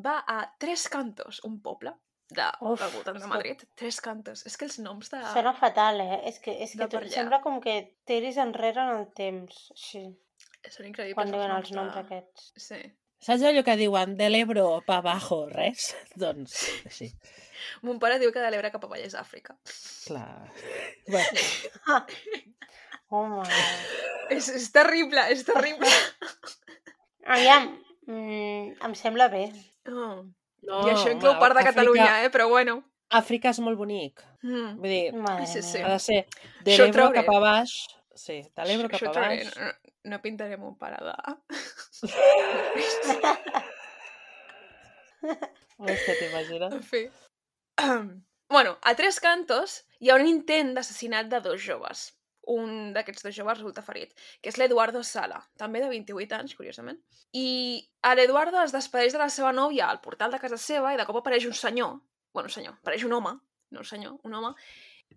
Speaker 1: va a Tres Cantos, un poble de,
Speaker 2: Uf,
Speaker 1: del voltant
Speaker 2: és
Speaker 1: de
Speaker 2: que-
Speaker 1: Madrid. Tres Cantos. És que els noms de...
Speaker 2: Sona fatal, eh? És que, és
Speaker 1: de
Speaker 2: que tu,
Speaker 1: per allà.
Speaker 2: sembla com que tiris enrere en el temps, així,
Speaker 1: Són increïbles
Speaker 2: quan
Speaker 1: els
Speaker 2: diuen
Speaker 1: noms
Speaker 2: els noms
Speaker 1: de...
Speaker 2: aquests.
Speaker 1: Sí.
Speaker 4: Saps allò que diuen de l'Ebro pa abajo, res? Doncs, així.
Speaker 1: Mon pare diu que de l'Ebre cap avall és Àfrica.
Speaker 4: Clar. Bueno,
Speaker 2: Ah. Home,
Speaker 1: És, és terrible, és terrible.
Speaker 2: aviam, mm, em sembla bé.
Speaker 1: Oh.
Speaker 4: no,
Speaker 1: I això inclou
Speaker 4: home,
Speaker 1: part de
Speaker 4: Àfrica-
Speaker 1: Catalunya, eh? Però bueno.
Speaker 4: Àfrica és molt bonic.
Speaker 1: Mm.
Speaker 4: Vull dir,
Speaker 2: Madre
Speaker 1: Sí, sí.
Speaker 2: mía.
Speaker 4: ha de ser de
Speaker 1: Això ho
Speaker 4: l'Ebro
Speaker 1: trauré.
Speaker 4: cap a baix. Sí, de l'Ebro
Speaker 1: Això
Speaker 4: cap a
Speaker 1: ho trauré.
Speaker 4: baix.
Speaker 1: No, no pintaré mon pare de...
Speaker 4: Hòstia, t'imagines?
Speaker 1: En fi. Bueno, a Tres Cantos hi ha un intent d'assassinat de dos joves. Un d'aquests dos joves resulta ferit, que és l'Eduardo Sala, també de vint-i-vuit anys, curiosament. I a l'Eduardo es despedeix de la seva nòvia al portal de casa seva i de cop apareix un senyor, bueno, un senyor, apareix un home, no un senyor, un home,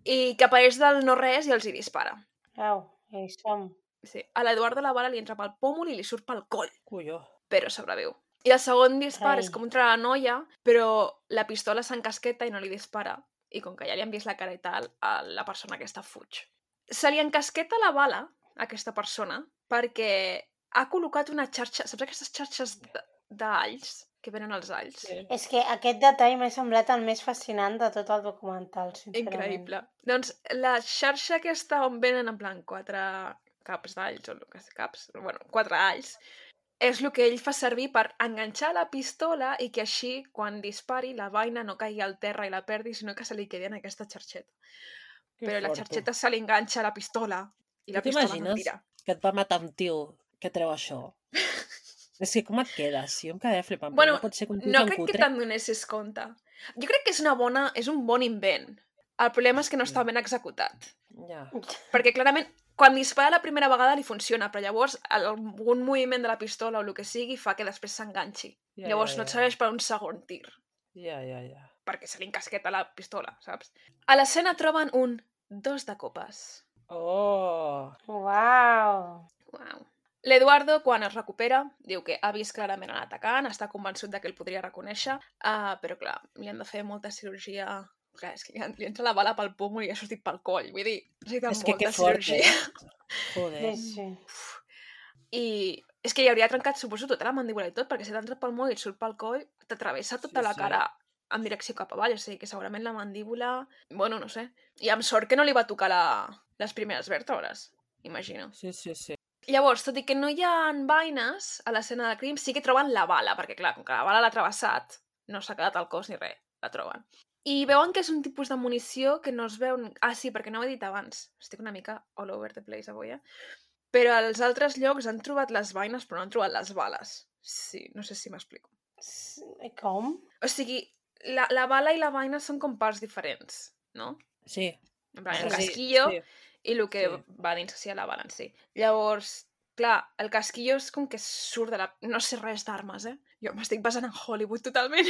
Speaker 1: i que apareix del no-res i els hi dispara.
Speaker 2: Au, ja hi som.
Speaker 1: Sí. A l'Eduardo la bala li entra pel pòmul i li surt pel coll,
Speaker 4: Colló.
Speaker 1: però sobreviu. I el segon dispar
Speaker 2: Rei.
Speaker 1: és contra la noia, però la pistola s'encasqueta i no li dispara. I com que ja li han vist la cara i tal, a la persona aquesta fuig. Se li encasqueta la bala a aquesta persona perquè ha col·locat una xarxa... Saps aquestes xarxes d- d'alls que venen als alls?
Speaker 4: Sí.
Speaker 2: És que aquest detall m'ha semblat el més fascinant de tot el documental, sincerament.
Speaker 1: Increïble. Doncs la xarxa aquesta on venen en plan quatre caps d'alls, o el que sigui, caps, bueno, quatre alls, és el que ell fa servir per enganxar la pistola i que així, quan dispari, la vaina no caigui al terra i la perdi, sinó que se li quedi en aquesta xarxeta.
Speaker 4: Que
Speaker 1: Però la
Speaker 4: fort, tu.
Speaker 1: xarxeta se li enganxa a la pistola i la
Speaker 4: Tu
Speaker 1: pistola no
Speaker 4: t'imagines
Speaker 1: tira.
Speaker 4: que et va matar un tio que treu això? És que com et quedes? Jo em quedaria flipant, però
Speaker 1: Bueno,
Speaker 4: no pot ser que un tio
Speaker 1: no
Speaker 4: tan
Speaker 1: crec que
Speaker 4: cutre...
Speaker 1: te'n donessis compte. Jo crec que és una bona, és un bon invent. El problema és que no està ben executat.
Speaker 4: Ja.
Speaker 1: Perquè clarament, quan dispara la primera vegada li funciona, però llavors algun moviment de la pistola o el que sigui fa que després s'enganxi.
Speaker 4: Ja,
Speaker 1: Llavors
Speaker 4: ja,
Speaker 1: no et
Speaker 4: ja.
Speaker 1: serveix per un segon tir,
Speaker 4: Ja, ja, ja.
Speaker 1: perquè se li encasqueta la pistola, saps? A l'escena troben un dos de copes.
Speaker 4: Oh!
Speaker 2: Uau!
Speaker 1: Uau. L'Eduardo, quan es recupera, diu que ha vist clarament l'atacant, està convençut de que el podria reconèixer, uh, però clar, li han de fer molta cirurgia... Clar, és que li, li entra la bala pel pòmul i ha sortit pel coll, vull dir, necessita
Speaker 4: És que
Speaker 1: molta
Speaker 4: que fort,
Speaker 1: cirurgia.
Speaker 4: eh? Joder.
Speaker 2: Sí, sí.
Speaker 1: I és que li hauria trencat, suposo, tota la mandíbula i tot, perquè si t'ha entrat pel moll i et surt pel coll, t'atravessa tota
Speaker 4: Sí,
Speaker 1: la
Speaker 4: sí.
Speaker 1: cara en direcció cap avall, o sigui que segurament la mandíbula... Bueno, no sé. I amb sort que no li va tocar la... les primeres vèrtebres, imagino.
Speaker 4: Sí, sí, sí.
Speaker 1: Llavors, tot i que no hi ha vaines a l'escena del crim, sí que troben la bala, perquè clar, com que la bala l'ha travessat, no s'ha quedat al cos ni res, la troben. I veuen que és un tipus de munició que no es veu... Ah, sí, perquè no ho he dit abans. Estic una mica all over the place avui, eh? Però als altres llocs han trobat les vaines, però no han trobat les bales. Sí, no sé si m'explico.
Speaker 2: S- Com?
Speaker 1: O sigui, la, la bala i la vaina són com parts diferents, no?
Speaker 4: Sí.
Speaker 1: En plan,
Speaker 2: Sí,
Speaker 1: el
Speaker 2: sí,
Speaker 1: casquillo
Speaker 4: sí.
Speaker 1: i el que
Speaker 4: sí.
Speaker 1: va dins sí, a la bala en si. Llavors, clar, el casquillo és com que surt de la... No sé res d'armes, eh? Jo m'estic basant en Hollywood totalment.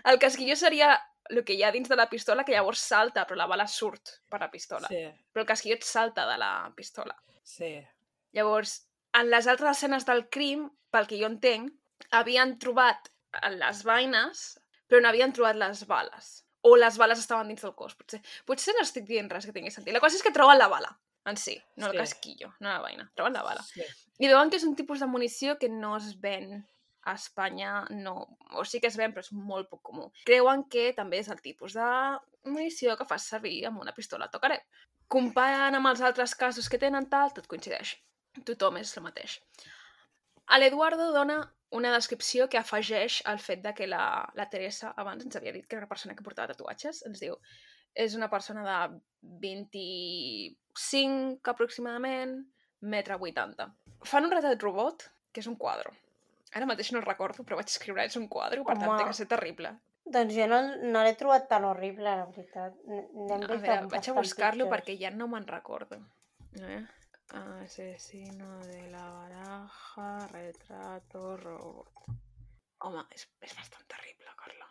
Speaker 1: El casquillo seria el que hi ha dins de la pistola, que llavors salta, però la bala surt per la pistola.
Speaker 4: Sí,
Speaker 1: Però el casquillo et salta de la pistola.
Speaker 4: sí.
Speaker 1: Llavors, en les altres escenes del crim, pel que jo entenc, havien trobat les vaines, però no havien trobat les bales. O les bales estaven dins del cos, potser. Potser no estic dient res que tingui sentit. La cosa és que troben la bala, en si, no el
Speaker 4: Sí.
Speaker 1: casquillo, no la vaina. Troben la bala.
Speaker 4: Sí.
Speaker 1: I veuen que és un tipus de munició que no es ven a Espanya, no... O sí que es ven, però és molt poc comú. Creuen que també és el tipus de munició que fas servir amb una pistola tocareu. Comparant amb els altres casos que tenen tal, tot coincideix. Tothom és el mateix. A l'Eduardo dona una descripció que afegeix al fet de que la, la Teresa abans ens havia dit que era una persona que portava tatuatges. Ens diu, és una persona de vint-i-cinc aproximadament, metre vuitanta. Fan un retrat robot, que és un quadre. Ara mateix no el recordo, però vaig escriure, és un quadre, per tant,
Speaker 2: Home.
Speaker 1: té que ser terrible.
Speaker 2: Doncs jo no, no l'he trobat tan horrible, la veritat. N- N'hem
Speaker 1: A
Speaker 2: vist
Speaker 1: veure,
Speaker 2: bastant
Speaker 1: vaig a buscar-lo
Speaker 2: pitjors.
Speaker 1: perquè ja no me'n recordo. A veure. Asesino de la baraja, retrato, robot. Home, és, és bastant terrible, Carla.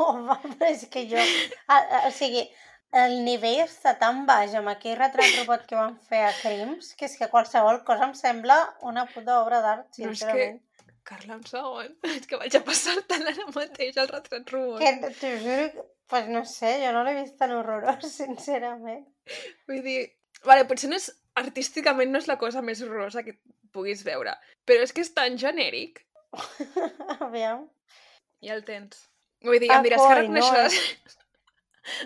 Speaker 2: Home, però és que jo... A, a, o sigui, el nivell està tan baix amb aquell retrat robot que van fer a Crims que és que qualsevol cosa em sembla una puta obra d'art,
Speaker 1: No, és que
Speaker 2: sincerament.
Speaker 1: Carla, un segon. És que vaig a passar-te'l ara mateix, el retrat robot.
Speaker 2: Que t'ho juro que... Pues no sé, jo no l'he vist tan horrorós, sincerament.
Speaker 1: Vull dir... Vale, potser no és... Artísticament no és la cosa més horrorosa que puguis veure, però és que és tan genèric.
Speaker 2: Aviam.
Speaker 1: Ja el tens. Vull dir, em diràs que
Speaker 2: Coi, no,
Speaker 1: reconeixeràs...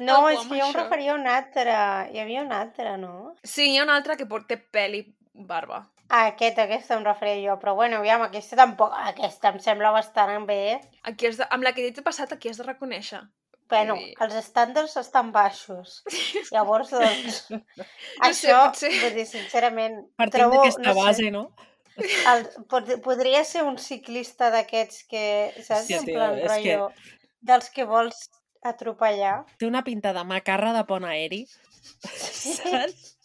Speaker 2: No,
Speaker 1: Algú
Speaker 2: és
Speaker 1: amb
Speaker 2: que jo em
Speaker 1: això.
Speaker 2: referia a un altre. Hi havia un altre, no?
Speaker 1: Sí, hi ha un altre que porta pèl i barba.
Speaker 2: Ah, aquest, aquesta em referia jo. Però bueno, aviam, aquesta tampoc... Aquesta em sembla bastant bé.
Speaker 1: Aquí has de... Amb la que t'he passat, aquí has de reconèixer.
Speaker 2: Bueno,
Speaker 1: Vull dir-
Speaker 2: els estàndards estan baixos. Llavors, doncs...
Speaker 1: No sé,
Speaker 2: això,
Speaker 1: potser-
Speaker 2: vull dir, sincerament...
Speaker 4: Partint
Speaker 2: trobo,
Speaker 4: d'aquesta
Speaker 2: no sé,
Speaker 4: base, no?
Speaker 2: El, pod podria ser un ciclista d'aquests que, saps?
Speaker 4: Hòstia,
Speaker 2: en
Speaker 4: tio,
Speaker 2: plan
Speaker 4: és que-
Speaker 2: rotllo, dels que vols atropellar.
Speaker 4: Té una pinta de macarra de pont aeri, saps?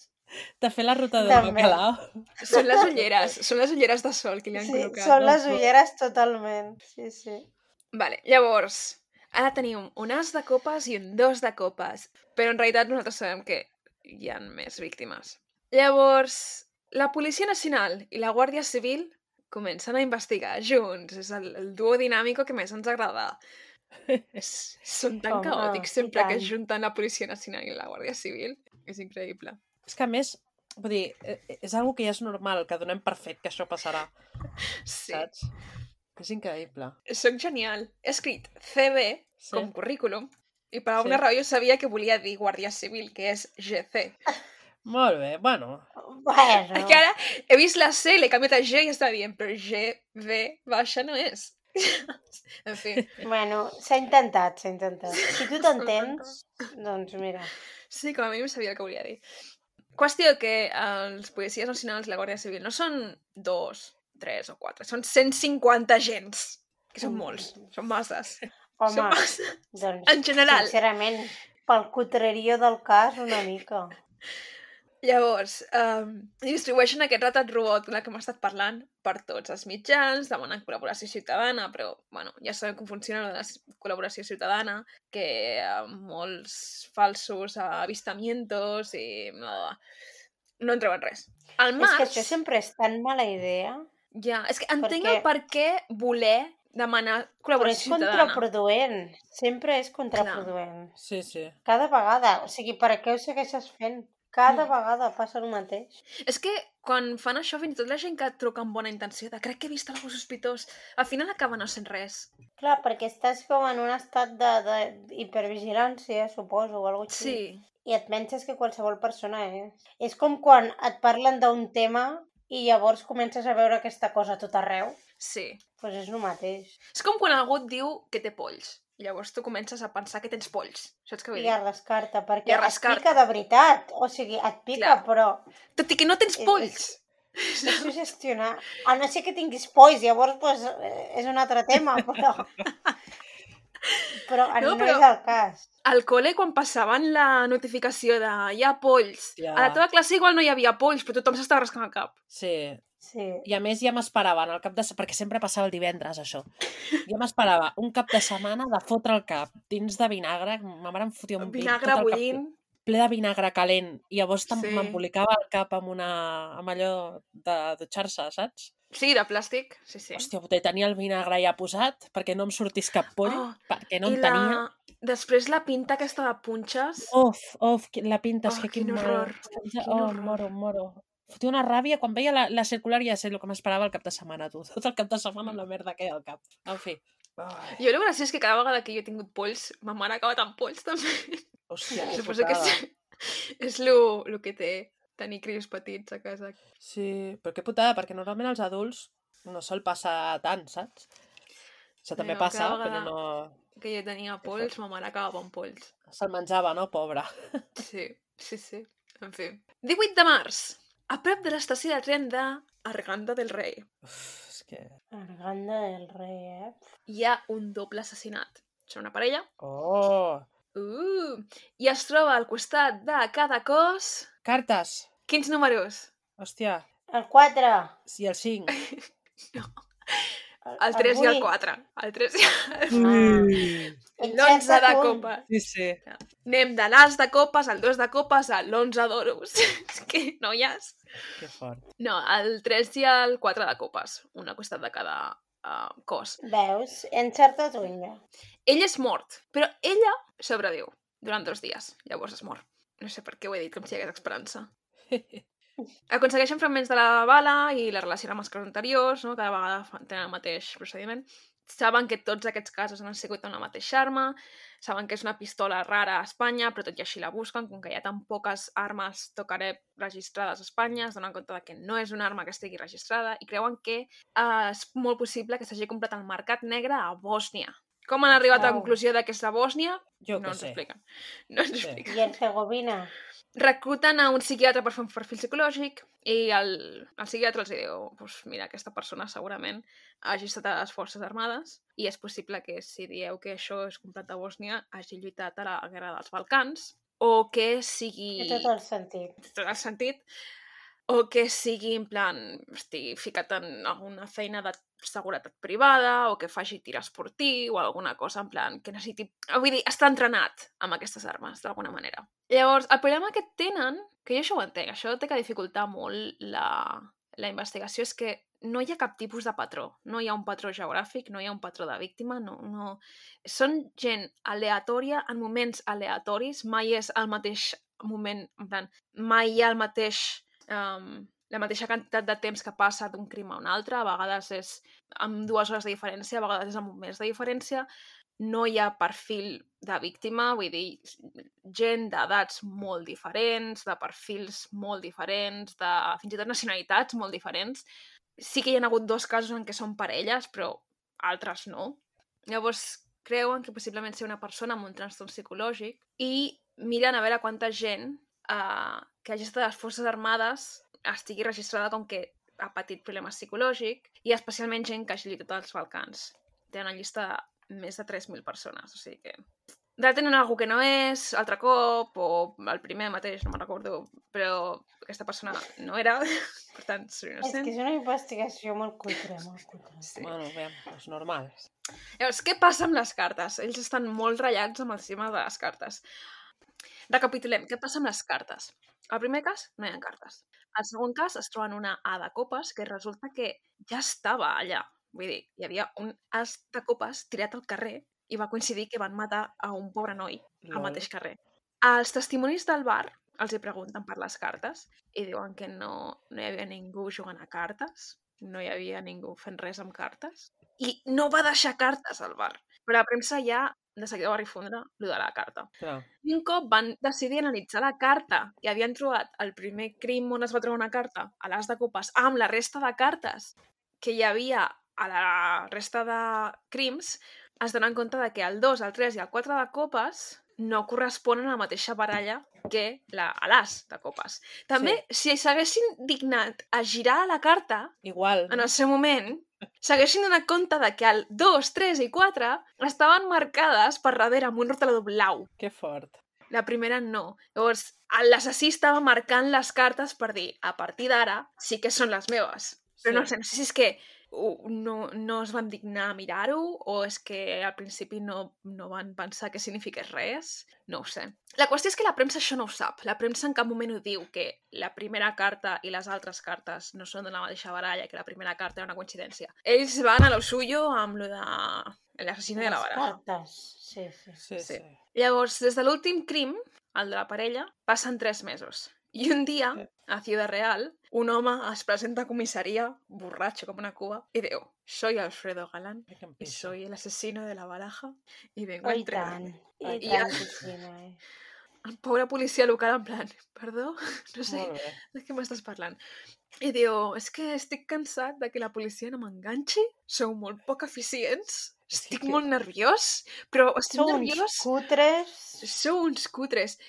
Speaker 4: De fer la ruta del
Speaker 2: També.
Speaker 4: bacalao.
Speaker 1: Són les ulleres, són les ulleres de sol que li han
Speaker 2: Sí,
Speaker 1: col·locat.
Speaker 2: són les
Speaker 4: no?
Speaker 2: ulleres totalment. Sí, sí.
Speaker 1: Vale, llavors, ara tenim un as de copes i un dos de copes, però en realitat nosaltres sabem que hi ha més víctimes. Llavors, la Policia Nacional i la Guàrdia Civil comencen a investigar junts. És el, el duo dinàmico que més ens agrada. S- Són tan
Speaker 2: Home,
Speaker 1: caòtics
Speaker 2: i
Speaker 1: sempre que
Speaker 2: tant.
Speaker 1: es junten la Policia Nacional i la Guàrdia Civil. És increïble.
Speaker 4: És que a més, vull dir, eh, és algo que ja és normal, que donem per fet que això passarà,
Speaker 1: Sí,
Speaker 4: saps? És increïble.
Speaker 1: soc genial. He escrit C B
Speaker 4: Sí.
Speaker 1: com currículum i per alguna
Speaker 4: Sí.
Speaker 1: raó jo sabia que volia dir Guàrdia Civil, que és G C.
Speaker 4: Molt bé, bueno.
Speaker 2: Bueno,
Speaker 1: És que ara he vist la C, l'he canviat a G i estava dient, però G, V, baixa no és. En fi,
Speaker 2: bueno, s'ha intentat, s'ha intentat. Si tu t'entens, doncs mira.
Speaker 1: sí, com a mínim sabia el que volia dir. Qüestió que els policies nacionals i la Guàrdia Civil no són dos, tres o quatre, són cent cinquanta agents, que són molts, són masses.
Speaker 2: Home,
Speaker 1: Són masses.
Speaker 2: doncs,
Speaker 1: En general.
Speaker 2: sincerament, pel cutrerio del cas, una mica.
Speaker 1: Llavors, um, distribueixen aquest retrat robot del que hem estat parlant per tots els mitjans, demanen col·laboració ciutadana, però, bueno, ja sabem com funciona la col·laboració ciutadana, que hi ha molts falsos avistamientos i... No, no en treuen res. Al
Speaker 2: És
Speaker 1: març...
Speaker 2: que això sempre és tan mala idea,
Speaker 1: Ja, és que entenc
Speaker 2: perquè-
Speaker 1: el per què voler demanar
Speaker 2: però és
Speaker 1: col·laboració ciutadana.
Speaker 2: contraproduent. Sempre és contraproduent.
Speaker 4: Sí, sí.
Speaker 2: Cada vegada. O sigui, per què ho segueixes fent? Cada
Speaker 1: Mm.
Speaker 2: vegada passa el mateix.
Speaker 1: És que quan fan això, fins i tot la gent que truca amb bona intenció de crec que he vist algú sospitós, al final acaba no sent res.
Speaker 2: Clar, perquè estàs com en un estat de, de hipervigilància, suposo, o alguna cosa així.
Speaker 1: Sí,
Speaker 2: I et penses que qualsevol persona és. És com quan et parlen d'un tema i llavors comences a veure aquesta cosa a tot arreu.
Speaker 1: sí.
Speaker 2: Doncs pues és el mateix.
Speaker 1: És com quan algú et diu que té polls. I llavors tu comences a pensar que tens polls. Saps què vull
Speaker 2: I
Speaker 1: dir?
Speaker 2: a rascar-te, perquè
Speaker 1: I a
Speaker 2: et
Speaker 1: rascar-te.
Speaker 2: pica de veritat. O sigui, et pica,
Speaker 1: Clar.
Speaker 2: però
Speaker 1: Tot i que no tens
Speaker 2: És-
Speaker 1: polls.
Speaker 2: és sugestionar. A no ser que tinguis polls, llavors pues, eh, és un altre tema, però... Però no,
Speaker 1: No,
Speaker 2: no
Speaker 1: però-
Speaker 2: és el cas.
Speaker 1: Al col·le, quan passaven la notificació de hi ha polls,
Speaker 4: Ja.
Speaker 1: a la teva classe igual no hi havia polls, però tothom s'estava rascant el cap.
Speaker 4: Sí.
Speaker 2: Sí.
Speaker 4: I a més ja m'esperava, en el cap de... se- perquè sempre passava el divendres, això. Ja m'esperava un cap de setmana de fotre el cap dins de vinagre, ma mare em fotia un vi,
Speaker 1: Vinagre
Speaker 4: tot el cap
Speaker 1: bullint.
Speaker 4: ple de vinagre calent, i llavors
Speaker 1: Sí.
Speaker 4: sí. m'embolicava el cap amb, una... amb allò de dutxar-se, saps?
Speaker 1: Sí, de plàstic. Sí, sí.
Speaker 4: Hòstia, puta, i tenia el vinagre ja posat perquè no em sortís cap poll,
Speaker 1: Oh,
Speaker 4: perquè no
Speaker 1: I
Speaker 4: en
Speaker 1: la...
Speaker 4: tenia.
Speaker 1: Després la pinta aquesta de punxes.
Speaker 4: Of, of, qui- la pinta, és
Speaker 1: Oh,
Speaker 4: que
Speaker 1: quin
Speaker 4: quin,
Speaker 1: horror,
Speaker 4: mal.
Speaker 1: quin
Speaker 4: Oh,
Speaker 1: horror.
Speaker 4: em moro, em moro. Fotia una ràbia, quan veia la, la circular ja sé el que m'esperava el cap de setmana, tu. Tot el cap de setmana amb la merda que hi ha al cap. En fi. Ai,
Speaker 1: Jo el graciós és que cada vegada que jo he tingut polls, ma mare ha acabat amb polls també.
Speaker 4: hòstia, que
Speaker 1: Suposo que
Speaker 4: putada.
Speaker 1: és, és lo, lo que té tenir crios petits a casa.
Speaker 4: Sí, però que putada, perquè normalment els adults no sol passar tant, saps? Això també
Speaker 1: No,
Speaker 4: passa,
Speaker 1: cada
Speaker 4: però
Speaker 1: vegada-
Speaker 4: no...
Speaker 1: Que jo tenia polls, ma mare acabava amb polls.
Speaker 4: Se'l menjava, no? Pobra.
Speaker 1: Sí, sí, sí. En fi. divuit de març. A prop de l'estació de tren de Arganda del Rei
Speaker 4: Uf, és que...
Speaker 2: Arganda del rei, eh?
Speaker 1: hi ha un doble assassinat. Són una parella.
Speaker 4: Oh!
Speaker 1: Uh, I es troba al costat de cada cos...
Speaker 4: Cartes!
Speaker 1: Quins números?
Speaker 4: Hòstia,
Speaker 2: El quatre.
Speaker 4: i el cinc.
Speaker 1: No. El tres i el quatre. El tres i el...
Speaker 2: Ah.
Speaker 1: l'onze de
Speaker 2: Encerta't un.
Speaker 1: copa.
Speaker 4: Sí, sí.
Speaker 1: Anem de l'as de copes al dos de copes a l'onze d'oros. És que, noies...
Speaker 4: Que fort.
Speaker 1: No, el tres i el quatre de copes. Un al costat de cada uh, cos.
Speaker 2: Veus? Encertat o ella?
Speaker 1: Ell és mort, però ella sobreviu durant dos dies. Llavors és mort. No sé per què ho he dit, com si hi hagués esperança. Aconsegueixen fragments de la bala i la relacionen amb els casos anteriors, no? Cada vegada tenen el mateix procediment. Saben que tots aquests casos han sigut amb la mateixa arma, saben que és una pistola rara a Espanya, però tot i així la busquen, com que hi ha tan poques armes tocaré registrades a Espanya, es donen compte que no és una arma que estigui registrada i creuen que eh, és molt possible que s'hagi comprat al mercat negre a Bòsnia. Com han arribat a la
Speaker 2: Au.
Speaker 1: conclusió de que és de Bòsnia?
Speaker 4: Jo
Speaker 1: No
Speaker 4: què
Speaker 1: ens ho
Speaker 4: sé.
Speaker 1: expliquen. No ens ho
Speaker 4: Sí.
Speaker 1: expliquen.
Speaker 2: I Herzegovina?
Speaker 1: Recluten a un psiquiatre per fer un perfil psicològic i el, el psiquiatre els diu pues mira, aquesta persona segurament hagi estat a les forces armades i és possible que si dieu que això és comprat a Bòsnia hagi lluitat a la guerra dels Balcans o que sigui...
Speaker 2: Té tot el sentit.
Speaker 1: Té tot el sentit o que sigui en plan estigui ficat en alguna feina de seguretat privada o que faci tir esportiu o alguna cosa en plan que necessiti... Vull dir, està entrenat amb aquestes armes, d'alguna manera. Llavors, el problema que tenen, que jo això ho entenc, això té que dificultar molt la, la investigació, és que no hi ha cap tipus de patró. No hi ha un patró geogràfic, no hi ha un patró de víctima, no... no... Són gent aleatòria en moments aleatoris, mai és el mateix moment, en plan, mai hi ha el mateix... Um, la mateixa quantitat de temps que passa d'un crim a un altre, a vegades és amb dues hores de diferència, a vegades és amb un mes de diferència, no hi ha perfil de víctima, vull dir, gent d'edats molt diferents, de perfils molt diferents, de fins i tot nacionalitats molt diferents. Sí que hi ha hagut dos casos en què són parelles, però altres no. Llavors, creuen que possiblement ser una persona amb un trastorn psicològic i miren a veure quanta gent eh, que hagi estat a les Forces Armades estigui registrada com que ha patit problemes psicològics i especialment gent que hagi lluitat als Balcans. Tenen una llista de més de tres mil persones, o sigui que... Detenen algú que no és, altre cop, o el primer mateix, no me'n recordo, però aquesta persona no era, per tant, soy
Speaker 2: És
Speaker 1: innocent.
Speaker 2: que és una investigació molt cutre, molt cutre.
Speaker 1: Sí.
Speaker 4: Bueno, bé, és normal.
Speaker 1: Llavors, què passa amb les cartes? Ells estan molt ratllats amb el tema de les cartes. Recapitulem, què passa amb les cartes? Al primer cas, no hi ha cartes. Al segon cas, es troben una A de copes que resulta que ja estava allà. Vull dir, hi havia un as de copes tirat al carrer i va coincidir que van matar a un pobre noi al
Speaker 4: Lol.
Speaker 1: mateix carrer. Els testimonis del bar els hi pregunten per les cartes i diuen que no, no hi havia ningú jugant a cartes, no hi havia ningú fent res amb cartes i no va deixar cartes al bar. Però la premsa ja de seguida va rifondre allò de la carta.
Speaker 4: Clar.
Speaker 1: I un cop van decidir analitzar la carta i havien trobat el primer crim on es va trobar una carta, a l'as de copes, amb la resta de cartes que hi havia a la resta de crims, es donen compte de que el dos, el tres i el quatre de copes no corresponen a la mateixa baralla que la, a l'as de copes. També, sí. Si s'haguessin dignat a girar la carta
Speaker 4: Igual.
Speaker 1: en el seu moment, s'haguessin donat compte de que el dos, tres i quatre estaven marcades per darrere amb un rotulador blau.
Speaker 4: Que fort.
Speaker 1: La primera no. Llavors, l'assassí estava marcant les cartes per dir, a partir d'ara sí que són les meves. Però
Speaker 4: Sí.
Speaker 1: no sé, no sé si és que uh, no, no es van dignar a mirar-ho o és que al principi no, no van pensar que signifiqués res. No ho sé. La qüestió és que la premsa això no ho sap. La premsa en cap moment ho diu, que la primera carta i les altres cartes no són de la mateixa baralla, que la primera carta era una coincidència. Ells van a lo suyo amb lo de l'assassino de la
Speaker 2: Les
Speaker 1: baraja.
Speaker 2: cartes. Sí, sí.
Speaker 4: Sí,
Speaker 1: Sí.
Speaker 4: sí.
Speaker 1: Llavors, des de l'últim crim, el de la parella, passen tres mesos. I un dia, a Ciudad Real, un home es presenta a comissaria, borratxo com una cuba, i diu, soy Alfredo Galán,
Speaker 4: Ai, que em
Speaker 1: y
Speaker 4: pisa.
Speaker 1: soy el asesino de la baraja, i vengo
Speaker 2: Oh,
Speaker 1: a
Speaker 2: i tant.
Speaker 1: entregarme.
Speaker 2: I
Speaker 1: I
Speaker 2: tant,
Speaker 1: ja-
Speaker 2: sí, sí, no, eh?
Speaker 1: El pobre policia local en plan, perdó, no sé
Speaker 4: Molt bé.
Speaker 1: de què m'estàs parlant. I diu, és que estic cansat de que la policia no m'enganxi, sou molt poc eficients,
Speaker 4: És
Speaker 1: estic
Speaker 4: que-
Speaker 1: molt nerviós, però estic
Speaker 2: Sou uns
Speaker 1: nerviós...
Speaker 2: cutres.
Speaker 1: Sou uns cutres.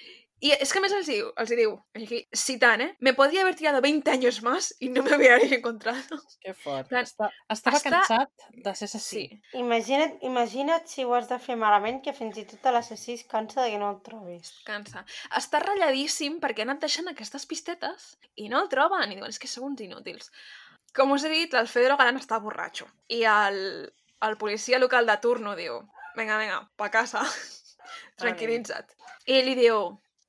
Speaker 1: Y es que a més els diu, els diu, aquí, citant, eh? Me podría haber tirado veinte años más y no me hubierais encontrado.
Speaker 4: Que fort.
Speaker 1: Plan,
Speaker 4: Està, estava
Speaker 1: està-
Speaker 4: cansat de ser assassí.
Speaker 1: Sí.
Speaker 2: Imagina't, imagina't si ho has de fer malament, que fins i tot l'assassí es cansa de que no el trobis.
Speaker 1: Cansa. Està ratlladíssim perquè ha anat deixant aquestes pistetes i no el troben. I diuen, és que sou uns inútils. Com us he dit, l'Alfredo Galán està borratxo. I el, el policia local de turno diu, venga, venga, pa casa. Tranquil·litza't. I ell li diu,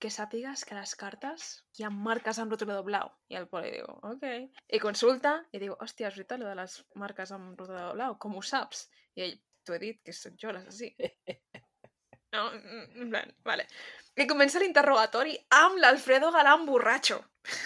Speaker 1: que sàpigues que a les cartes hi ha marques amb rotulador blau. I el Poli diu, ok. I consulta i diu, hòstia, és veritat, lo de les marques amb rotulador blau, com ho saps? I ell, t'ho he dit, que soc jo l'assassí. No, en plan, vale. I comença l'interrogatori amb l'Alfredo Galán borratxo.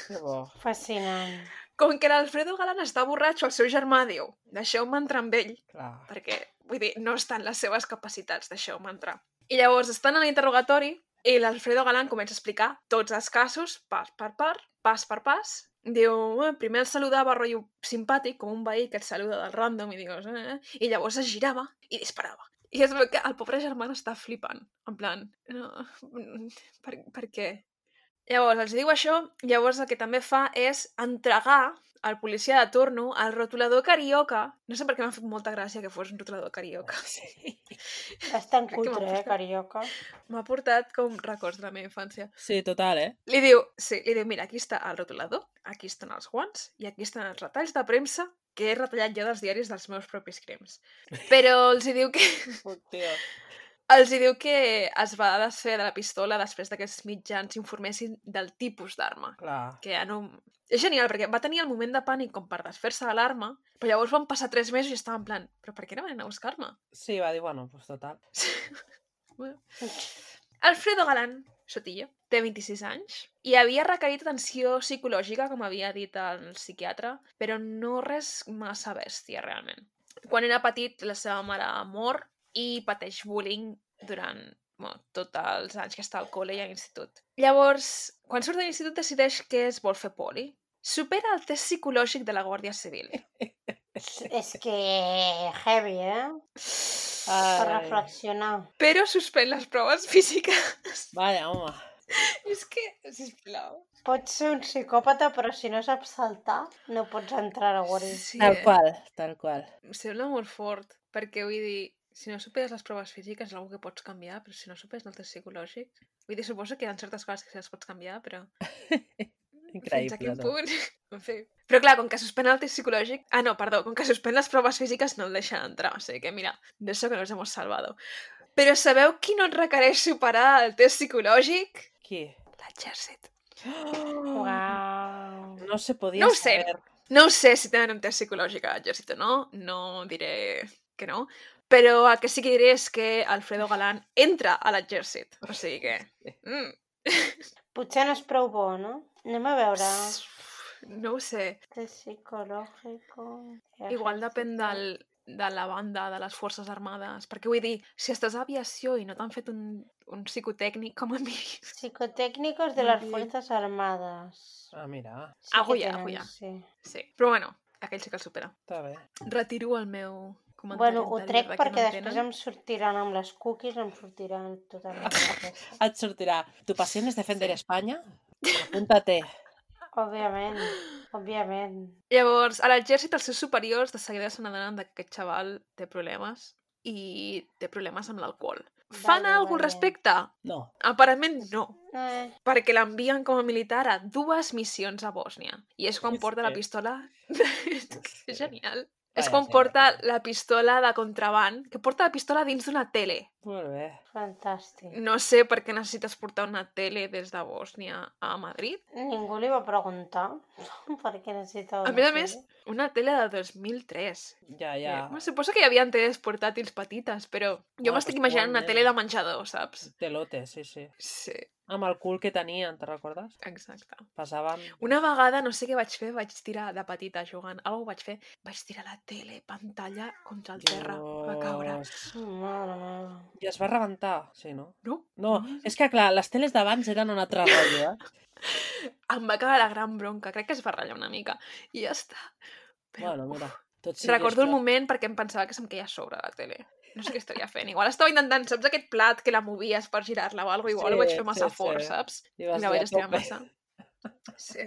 Speaker 4: Que bo.
Speaker 2: Fascinant.
Speaker 1: Com que l'Alfredo Galán està borratxo, el seu germà diu, deixeu-me entrar amb ell,
Speaker 4: Clar.
Speaker 1: perquè, vull dir, no estan les seves capacitats, deixeu-me entrar. I llavors estan a l'interrogatori i l'Alfredo Galán comença a explicar tots els casos, pas per part, pas per pas. Diu, eh, primer el saludava rotllo simpàtic, com un veí que et saluda del random, i dius, eh, eh, i llavors es girava i disparava. I es veu que el pobre germà està flipant, en plan, no, per, per què? Llavors, els diu això, llavors el que també fa és entregar al policia de torno el rotulador carioca. No sé per què m'ha fet molta gràcia que fos un rotulador carioca.
Speaker 4: Sí.
Speaker 2: Bastant
Speaker 1: Crec que m'ha
Speaker 2: cutre, eh,
Speaker 1: portat-
Speaker 2: carioca.
Speaker 1: M'ha portat com records de la meva infància.
Speaker 4: Sí, total, eh?
Speaker 1: Li diu, sí, li diu, mira, aquí està el rotulador, aquí estan els guants i aquí estan els retalls de premsa que he retallat jo dels diaris dels meus propis crims. Però els hi diu que...
Speaker 4: Puc, tio.
Speaker 1: Els hi diu que es va desfer de la pistola després que aquests mitjans informessin del tipus d'arma.
Speaker 4: Clar.
Speaker 1: Que ja no... És genial, perquè va tenir el moment de pànic com per desfer-se de l'arma, però llavors van passar tres mesos i estava en plan, però per què no van anar a buscar-me?
Speaker 4: Sí, va dir, bueno, pues total.
Speaker 1: Bueno. Alfredo Galán, Sotillo, té vint-i-sis anys i havia requerit atenció psicològica, com havia dit el psiquiatre, però no res massa bèstia, realment. Quan era petit, la seva mare mor i pateix bullying durant bueno, tots els anys que està al col·le i a l'institut. Llavors, quan surt de l'institut decideix que es vol fer poli. Supera el test psicològic de la Guàrdia Civil.
Speaker 2: És que heavy, eh? Per
Speaker 4: Ai.
Speaker 2: reflexionar.
Speaker 1: Però suspèn les proves físiques.
Speaker 4: Vaya, home.
Speaker 1: És que, sisplau.
Speaker 2: Pots ser un psicòpata, però si no saps saltar, no pots entrar a la guàrdia.
Speaker 1: Sí,
Speaker 4: Tal
Speaker 1: eh?
Speaker 4: qual, tal qual.
Speaker 1: Em sembla molt fort, perquè vull dir, si no superes les proves físiques és una que pots canviar, però si no superes el test psicològic... Vull dir, suposo que hi ha certes coses que sí les pots canviar, però... Fins a
Speaker 4: Increïble,
Speaker 1: quin
Speaker 4: no?
Speaker 1: punt? En fi. Però clar, com que suspèn el test psicològic... Ah, no, perdó, com que suspèn les proves físiques no el deixen entrar, o sigui que mira, de això que nos hemos salvado. Però sabeu qui no et requereix superar el test psicològic?
Speaker 4: Qui?
Speaker 1: L'exèrcit.
Speaker 2: Uau.
Speaker 4: No se podia
Speaker 1: No ho sé.
Speaker 4: saber.
Speaker 1: No ho sé si tenen un test psicològic a l'exèrcit o no, no diré que no, però el que sí que diré és que Alfredo Galán entra a l'exèrcit, o sigui que... Mm.
Speaker 2: Potser no és prou bo, no? Anem a veure.
Speaker 1: No ho sé,
Speaker 2: Test psicològico...
Speaker 1: igual depèn del, de la banda, de les forces armades, perquè vull dir, si estàs a aviació i no t'han fet un, un psicotècnic com a mi...
Speaker 2: Psicotécnicos de las Fuerzas Armadas.
Speaker 4: Ah, mira,
Speaker 2: Sí que
Speaker 1: Agulla,
Speaker 2: tenen,
Speaker 1: agulla.
Speaker 2: Sí.
Speaker 1: Sí, però bueno, aquell sí que el supera.
Speaker 4: està bé.
Speaker 1: Retiro el meu comentari
Speaker 2: Bueno, ho
Speaker 1: anterior
Speaker 2: trec
Speaker 1: de que
Speaker 2: perquè
Speaker 1: no
Speaker 2: després
Speaker 1: entenen.
Speaker 2: em sortiran amb les cookies, em sortiran totalment la peça.
Speaker 4: Et sortirà. Tu passió és defender Espanya? Apúntate.
Speaker 2: Òbviament, òbviament.
Speaker 1: Llavors, a l'exèrcit els seus superiors de seguida se n'adonen que aquest xaval té problemes i té problemes amb l'alcohol. Fan
Speaker 2: Vale,
Speaker 1: alguna al
Speaker 2: vale.
Speaker 1: respecte?
Speaker 4: No.
Speaker 1: Aparentment no,
Speaker 2: Eh,
Speaker 1: perquè l'envien com a militar a dues missions a Bòsnia. I és quan
Speaker 4: És
Speaker 1: porta la
Speaker 4: que-
Speaker 1: pistola... és genial. És
Speaker 4: Vaya
Speaker 1: quan
Speaker 4: tela.
Speaker 1: porta la pistola de contraband, que porta la pistola dins d'una tele.
Speaker 4: Molt bé.
Speaker 2: fantàstic.
Speaker 1: No sé per què necessites portar una tele des de Bòsnia a Madrid.
Speaker 2: Ningú li va preguntar per què necessitava
Speaker 1: A
Speaker 2: una
Speaker 1: més a
Speaker 2: tele.
Speaker 1: més, una tele de dos mil tres.
Speaker 4: Ja, ja.
Speaker 1: Eh, bueno, suposo que hi havia teles portàtils petites, però jo
Speaker 4: Bueno,
Speaker 1: m'estic
Speaker 4: pues
Speaker 1: imaginant una
Speaker 4: igualment.
Speaker 1: tele de menjador, saps?
Speaker 4: Telote, sí, sí.
Speaker 1: Sí,
Speaker 4: Amb el cul que tenien, te recordes?
Speaker 1: exacte.
Speaker 4: Passaven...
Speaker 1: Una vegada, no sé què vaig fer, vaig tirar de petita jugant, alguna vaig fer, vaig tirar la tele, pantalla contra el terra, va caure.
Speaker 4: Dios.
Speaker 2: Mare meva.
Speaker 4: I es va rebentar, sí, no?
Speaker 1: No?
Speaker 4: No, és que clar, les teles d'abans eren un altre rotllo, eh?
Speaker 1: Em va caure la gran bronca, crec que es va ratllar una mica, i ja està. Però,
Speaker 4: Bueno, mira, tot
Speaker 1: uf,
Speaker 4: sigui
Speaker 1: recordo el
Speaker 4: això.
Speaker 1: moment perquè em pensava que se'm queia a sobre la tele. No sé què estaria fent. Igual estava intentant, saps aquest plat que la movies per girar-la o alguna cosa? Igual
Speaker 4: Sí,
Speaker 1: ho vaig fer massa
Speaker 4: sí, sí.
Speaker 1: fort, saps?
Speaker 4: I
Speaker 1: I
Speaker 4: vas
Speaker 1: la
Speaker 4: dir,
Speaker 1: vaig
Speaker 4: a
Speaker 1: estirar
Speaker 4: tope.
Speaker 1: massa. Sí.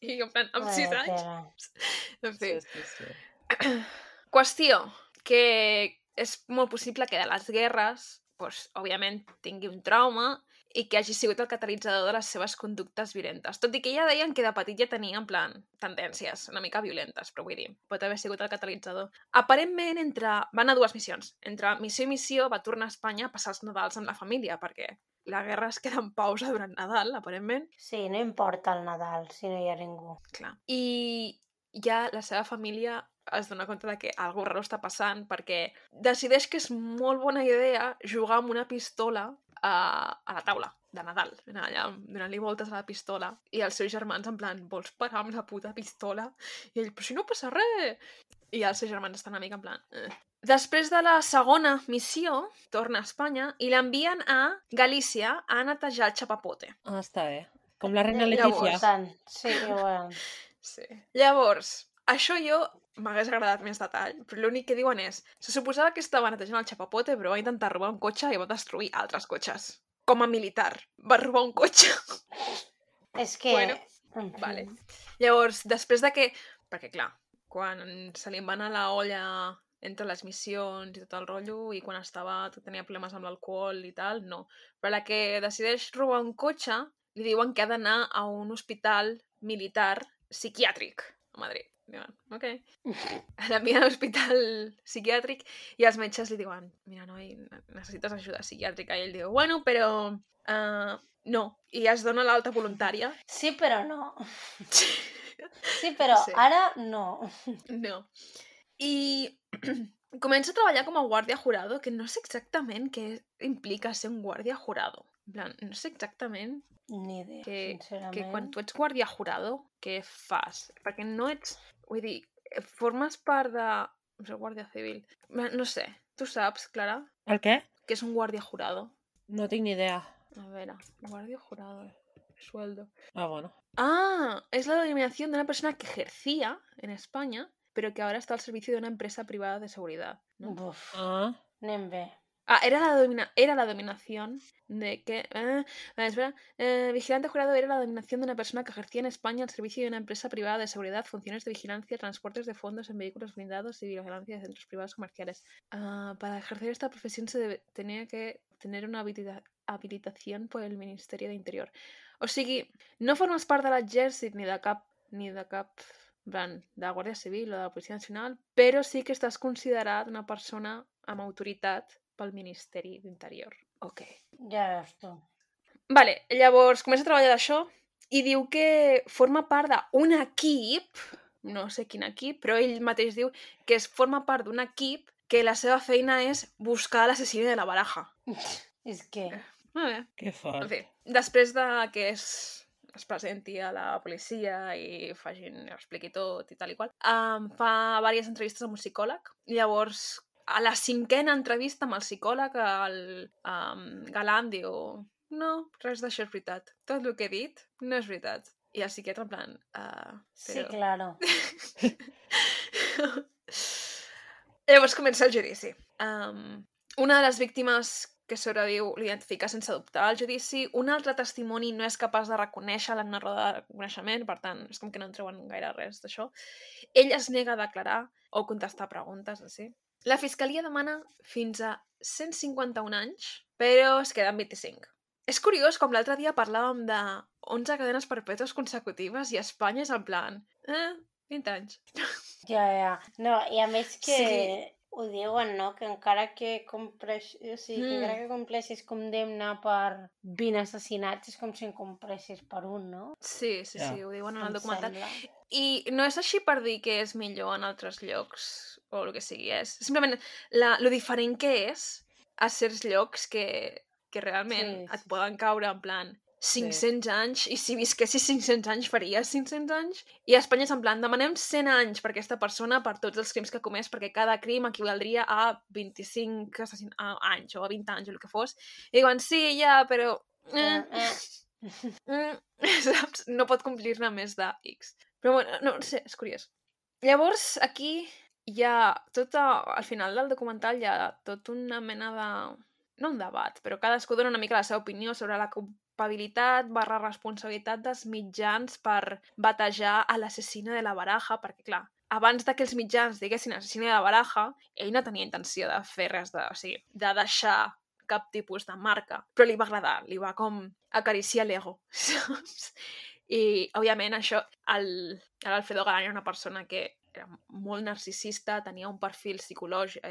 Speaker 1: I en plan, amb
Speaker 2: Vaya
Speaker 1: sis anys.
Speaker 2: tela.
Speaker 1: En fi.
Speaker 4: Sí, sí, sí.
Speaker 1: Qüestió, que és molt possible que de les guerres, doncs, òbviament, tingui un trauma i que hagi sigut el catalitzador de les seves conductes violentes. Tot i que ja deien que de petit ja tenia, en plan, tendències una mica violentes, però vull dir, pot haver sigut el catalitzador. Aparentment, entre... van a dues missions. Entre missió i missió va tornar a Espanya a passar els Nadals amb la família, perquè la guerra es queda en pausa durant Nadal, aparentment.
Speaker 2: Sí, no importa el Nadal si no hi ha ningú.
Speaker 1: Clar. I ja la seva família es dona compte de que alguna raro està passant perquè decideix que és molt bona idea jugar amb una pistola a, a la taula de Nadal, allà donant-li voltes a la pistola, i els seus germans en plan, vols parar amb la puta pistola? I ell, però si no passa res! I els seus germans estan una mica en plan... Eh. Després de la segona missió, torna a Espanya i l'envien a Galícia a netejar el chapapote.
Speaker 4: Ah, està bé. Com la reina
Speaker 2: Eh,
Speaker 4: Letícia.
Speaker 2: Interessant. Sí, igual.
Speaker 1: Sí. Llavors, això jo m'hagués agradat més detall, però l'únic que diuen és se suposava que estava netejant el chapapote, però va intentar robar un cotxe i va destruir altres cotxes. Com a militar. Va robar un cotxe.
Speaker 2: És que...
Speaker 1: Bueno,
Speaker 2: en fi.
Speaker 1: Vale. Llavors, després de que... Perquè, clar, quan se li va anar la olla entre les missions i tot el rotllo, i quan estava, tenia problemes amb l'alcohol i tal, no. Però la que decideix robar un cotxe, li diuen que ha d'anar a un hospital militar psiquiàtric a Madrid. Diuen, ok. L'envien a l'hospital psiquiàtric i els metges li diuen, mira, noi, necessites ajuda psiquiàtrica. I ell diu, bueno, però... Uh, no. I es dona l'alta voluntària.
Speaker 2: Sí, però no. Sí, però
Speaker 1: Sí.
Speaker 2: ara no.
Speaker 1: No. I comença a treballar com a guàrdia jurado, que no sé exactament què implica ser un guàrdia jurado. En plan, no sé exactament
Speaker 2: Ni idea,
Speaker 1: que,
Speaker 2: sincerament.
Speaker 1: que quan tu ets guàrdia jurado, què fas? Perquè no ets... Vull dir, formes part de... No sé, guàrdia civil. No sé. Tu saps, Clara,
Speaker 4: El què?
Speaker 1: què és un guàrdia jurado?
Speaker 4: No tinc ni idea.
Speaker 1: A veure, guàrdia jurado. Sueldo.
Speaker 4: Ah, bueno.
Speaker 1: Ah, es la denominación de una persona que ejercía en España, pero que ahora está al servicio de una empresa privada de seguridad, ¿no?
Speaker 2: Buf,
Speaker 4: Ah,
Speaker 2: anem bé.
Speaker 1: Ah, era la, domina era la dominación de que... Eh, vale, espera. Eh, vigilante jurado era la dominación de una persona que ejercía en España al servicio de una empresa privada de seguridad, funciones de vigilancia, transportes de fondos en vehículos blindados y vigilancia de centros privados comerciales. Ah, para ejercer esta profesión se debe, tenía que tener una habilita habilitación por el Ministerio de Interior. O sigui, no formes part de l'exèrcit ni de cap... ni de cap... plan, de la Guàrdia Civil o de la Policia Nacional, però sí que estàs considerat una persona amb autoritat pel Ministeri d'Interior. Ok.
Speaker 2: Ja veus tu.
Speaker 1: Vale, llavors comença a treballar d'això i diu que forma part d'un equip, no sé quin equip, però ell mateix diu que es forma part d'un equip que la seva feina és buscar l'assassí de la baraja.
Speaker 2: És que...
Speaker 1: Molt bé.
Speaker 4: que
Speaker 1: En
Speaker 4: fort.
Speaker 1: fi, després de que es, es presenti a la policia i facin, expliqui tot i tal i qual, um, fa diverses entrevistes amb un psicòleg. Llavors, a la cinquena entrevista amb el psicòleg, el um, Galant diu no, res d'això és veritat. Tot el que he dit no és veritat. I el psiquiatre en plan... Uh,
Speaker 2: Sí,
Speaker 1: però...
Speaker 2: claro.
Speaker 1: Llavors comença el judici. Um, una de les víctimes que sobreviu l'identifica sense dubtar al judici. Un altre testimoni no és capaç de reconèixer-la en una roda de reconeixement, per tant, és com que no en treuen gaire res d'això. Ell es nega a declarar o contestar preguntes, així. La fiscalia demana fins a cent cinquanta-un anys, però es queden vint-i-cinc. És curiós, com l'altre dia parlàvem de onze cadenes perpètues consecutives i a Espanya és en plan... Eh, vint anys.
Speaker 2: Ja, ja. No, i a més que...
Speaker 1: Sí.
Speaker 2: Ho diuen, no? Que encara que compleix... O sigui, que
Speaker 1: Mm.
Speaker 2: encara que compleixis condemna per vint assassinats és com si en compleixis per un, no?
Speaker 1: Sí, sí,
Speaker 4: Ja.
Speaker 1: sí, ho diuen en el
Speaker 2: Em
Speaker 1: documental.
Speaker 2: sembla.
Speaker 1: I no és així per dir que és millor en altres llocs o el que sigui, és simplement la, lo diferent que és a certs llocs que, que realment
Speaker 2: Sí,
Speaker 1: et
Speaker 2: sí,
Speaker 1: poden caure en plan cinc-cents anys, i si visquessis cinc-cents anys faries cinc-cents anys, i a Espanya és en plan demanem cent anys per aquesta persona per tots els crims que ha comès, perquè cada crim equivaldria a vint-i-cinc assassin a anys o a vint anys o el que fos, i diuen sí, ja, però... Eh,
Speaker 2: Però, eh.
Speaker 1: mm, saps? No pot complir-ne més de X. Però bueno, no, no sé, és curiós. Llavors, aquí hi ha tot a, al final del documental hi ha tot una mena de... no un debat, però cadascú dona una mica la seva opinió sobre la culpabilitat barra responsabilitat dels mitjans per batejar a l'assassina de la baraja, perquè clar, abans de que els mitjans diguessin assassina de la baraja, ell no tenia intenció de fer res de... O sigui, de deixar cap tipus de marca, però li va agradar, li va com acariciar l'ego, saps? I, òbviament, això, el, l'Alfredo Galán era una persona que era molt narcisista, tenia un perfil psicològic,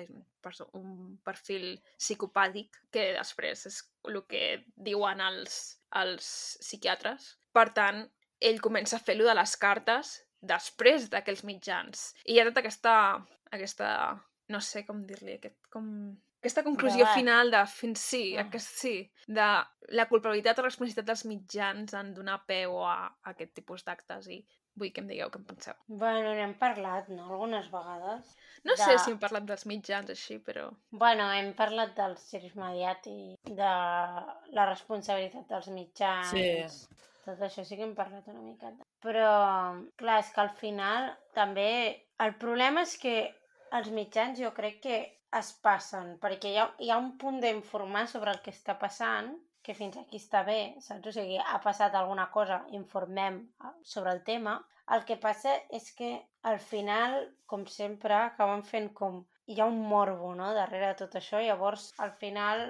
Speaker 1: un perfil psicopàtic, que després és el que diuen els, els psiquiatres. Per tant, ell comença a fer-lo de les cartes després d'aquells mitjans. I hi ha tota aquesta, aquesta no sé com dir-li, aquest, com... aquesta conclusió
Speaker 2: Debat.
Speaker 1: final de, fins sí,
Speaker 2: Ah.
Speaker 1: aquest, sí, de la culpabilitat o responsabilitat dels mitjans en donar peu a, a aquest tipus d'actes i vull que em digueu què en penseu.
Speaker 2: Bueno, n'hem parlat, no?, algunes vegades.
Speaker 1: No
Speaker 2: De-
Speaker 1: sé si hem parlat dels mitjans així, però...
Speaker 2: Bueno, hem parlat del circ mediàtic, de la responsabilitat dels mitjans...
Speaker 4: Sí.
Speaker 2: Tot això sí que hem parlat una miqueta. Però, clar, és que al final també... El problema és que els mitjans jo crec que es passen, perquè hi ha, hi ha un punt d'informar sobre el que està passant, que fins aquí està bé, saps? O sigui, ha passat alguna cosa, informem sobre el tema. El que passa és que al final, com sempre, acaben fent com... Hi ha un morbo, no?, darrere de tot això, llavors al final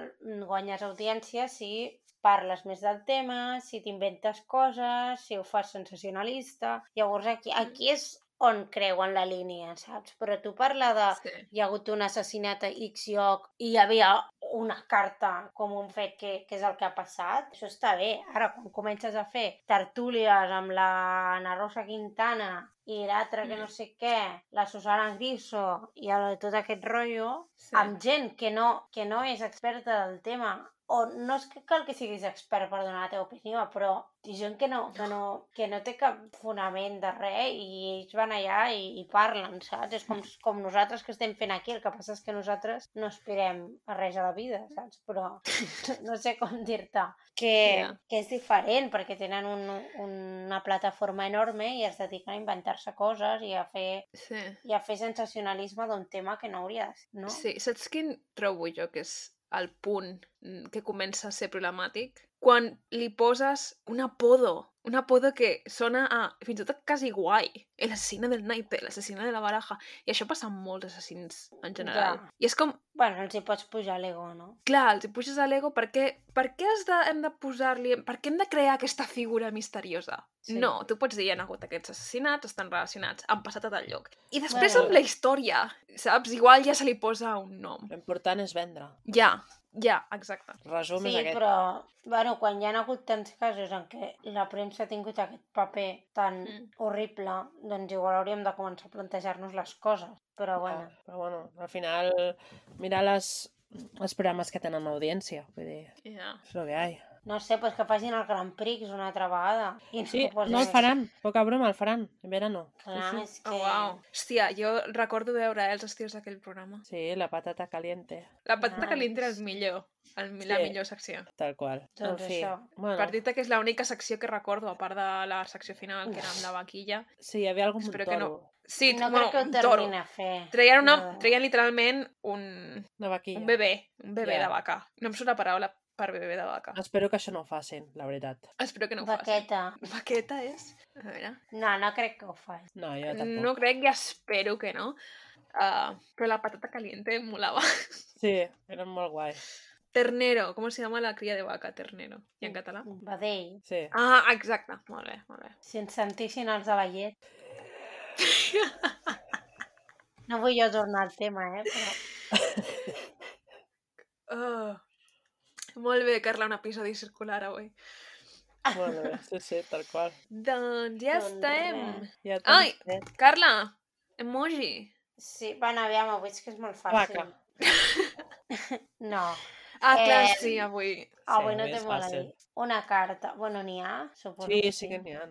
Speaker 2: guanyes audiència si parles més del tema, si t'inventes coses, si ho fas sensacionalista... Llavors aquí, aquí és on creuen la línia, saps? Però tu parla de...
Speaker 1: Sí.
Speaker 2: Hi ha hagut un assassinat a X lloc i hi havia una carta com un fet que, que és el que ha passat, això està bé. Ara, quan comences a fer tertúlies amb la Ana Rosa Quintana i l'altra que no sé què, la Susana Griso i el, tot aquest rotllo,
Speaker 1: Sí.
Speaker 2: amb gent que no, que no és experta del tema, o no és que cal que siguis expert per donar la teva opinió, però gent que no, que no, que no té cap fonament de res i ells van allà i, i parlen, saps? És com, com nosaltres que estem fent aquí, el que passa és que nosaltres no aspirem a res a la vida, saps? Però no sé com dir-te que,
Speaker 1: Ja.
Speaker 2: que és diferent perquè tenen un, una plataforma enorme i es dediquen a inventar-se coses i a fer,
Speaker 1: Sí.
Speaker 2: i a fer sensacionalisme d'un tema que no hauria de ser, no?
Speaker 1: Sí, saps quin trobo jo que és el punt mm, que comença a ser problemàtic? Quan li poses un apodo, un apodo que sona a, fins i tot quasi guai, el asesino del naipe, l'assassina de la baraja, i això passa amb molts assassins en general.
Speaker 2: Ja.
Speaker 1: I és com,
Speaker 2: Bueno, els hi pots pujar l'ego, no?
Speaker 1: clar, els hi puges a l'ego perquè per què has de, hem de posar-li, per què hem de crear aquesta figura misteriosa?
Speaker 2: Sí.
Speaker 1: No, tu pots dir, hi ha hagut aquests assassinats, estan relacionats, han passat a tal lloc. I després
Speaker 2: Bueno.
Speaker 1: amb la història, saps? Igual ja se li posa un nom.
Speaker 4: L'important és vendre.
Speaker 1: Ja, ja, exacte.
Speaker 4: Resum
Speaker 2: Sí,
Speaker 4: és aquest.
Speaker 2: però, bueno, quan hi ha hagut tants casos en què la premsa ha tingut aquest paper tan
Speaker 1: Mm.
Speaker 2: horrible, doncs igual hauríem de començar a plantejar-nos les coses. Però, bueno,
Speaker 4: Ja, però bueno, al final, mirar les, els programes que tenen audiència, vull dir,
Speaker 1: Ja.
Speaker 4: és el que hi ha.
Speaker 2: no sé, pues que facin el Grand Prix una altra vegada. I ens
Speaker 4: Sí,
Speaker 2: ho posin
Speaker 4: no el
Speaker 2: aquí.
Speaker 4: faran, poca broma, el faran, en verano.
Speaker 2: Clar,
Speaker 4: Sí, sí.
Speaker 2: és que...
Speaker 1: Oh, wow. Hòstia, jo recordo veure eh, els estius d'aquell programa.
Speaker 4: Sí, la patata caliente,
Speaker 1: La patata
Speaker 2: Nice.
Speaker 1: caliente era el millor, el, la
Speaker 4: Sí.
Speaker 1: millor secció.
Speaker 4: tal qual.
Speaker 2: Doncs
Speaker 4: en fi,
Speaker 2: això.
Speaker 4: bueno,
Speaker 1: Per dir-te que és l'única secció que recordo, a part de la secció final, que era amb la vaquilla.
Speaker 4: sí, hi havia algun
Speaker 1: Espero
Speaker 4: toro,
Speaker 1: que no. Sí,
Speaker 2: No
Speaker 1: bueno,
Speaker 2: crec que ho
Speaker 1: un toro.
Speaker 2: tornin a fer.
Speaker 1: Treien, una,
Speaker 2: No.
Speaker 1: treien literalment un,
Speaker 4: una vaquilla.
Speaker 1: un bebè, un bebè
Speaker 4: Ja.
Speaker 1: de vaca. No em surt la paraula per bebè de vaca.
Speaker 4: Espero que això no ho facin, la veritat.
Speaker 1: Espero que no ho facin.
Speaker 2: Vaqueta.
Speaker 1: Vaqueta és? A veure...
Speaker 2: No, no crec que ho faci.
Speaker 4: No, jo tampoc.
Speaker 1: No crec i espero que no. Uh, però la patata caliente em molava.
Speaker 4: Sí, eren molt guai.
Speaker 1: Ternero, com se llama la cria de vaca? Ternero. I en català?
Speaker 2: Vedell.
Speaker 4: Sí.
Speaker 1: Ah, exacte. Molt bé, molt bé.
Speaker 2: Si ens sentissin els de la llet. No vull jo tornar al tema, eh? Però...
Speaker 1: Oh. Molt bé, Carla, un episodi circular avui.
Speaker 4: Molt bé, sí, sí, tal qual.
Speaker 1: Doncs ja
Speaker 2: Doncs
Speaker 1: estem.
Speaker 2: res.
Speaker 4: Ja
Speaker 1: Ai,
Speaker 4: tenim fet.
Speaker 1: Carla, emoji.
Speaker 2: Sí, bueno, aviam, avui és que és molt fàcil.
Speaker 4: Vaca.
Speaker 2: No,
Speaker 1: Ah, clar,
Speaker 2: Eh,
Speaker 1: sí, avui.
Speaker 2: avui
Speaker 4: Sí,
Speaker 2: no
Speaker 4: és
Speaker 2: té molt a
Speaker 4: fàcil.
Speaker 2: dir. Una carta. Bueno, n'hi ha, suposo
Speaker 4: Sí,
Speaker 2: que
Speaker 4: sí que n'hi ha.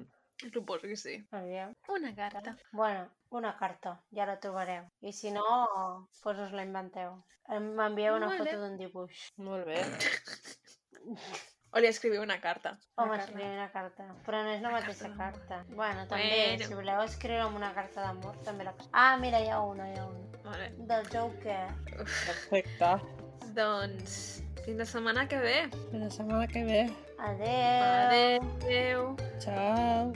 Speaker 1: Suposo que sí.
Speaker 2: Aviam.
Speaker 1: Una carta.
Speaker 2: Bueno, una carta, ja la trobareu. I si no, doncs us la inventeu. Em- M'envieu una
Speaker 1: Molt
Speaker 2: foto
Speaker 1: bé.
Speaker 2: d'un dibuix.
Speaker 4: Molt bé.
Speaker 1: O li escriviu una carta.
Speaker 2: Home,
Speaker 1: Una carta.
Speaker 2: escriure una carta. Però no és la mateixa carta. Bueno, també,
Speaker 1: Bueno.
Speaker 2: si voleu escriure amb una carta d'amor, també la... Ah, mira, hi ha una, hi ha una.
Speaker 1: Molt bé.
Speaker 2: Del Joker.
Speaker 4: Perfecte.
Speaker 1: Doncs, fins la setmana que ve.
Speaker 4: Fins la setmana que ve.
Speaker 2: Adeu.
Speaker 1: Adéu.
Speaker 4: Ciao.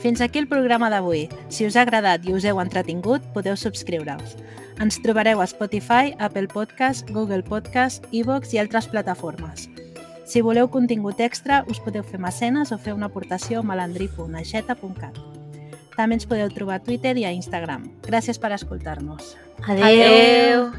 Speaker 3: Fins aquí el programa d'avui. Si us ha agradat i us heu entretingut, podeu subscriure-us. Ens trobareu a Spotify, Apple Podcast, Google Podcast, iVoox i altres plataformes. Si voleu contingut extra, us podeu fer mecenes o fer una aportació a malandrí punt aixeta punt cat. També ens podeu trobar a Twitter i a Instagram. Gràcies per escoltar-nos.
Speaker 2: Adéu! Adéu.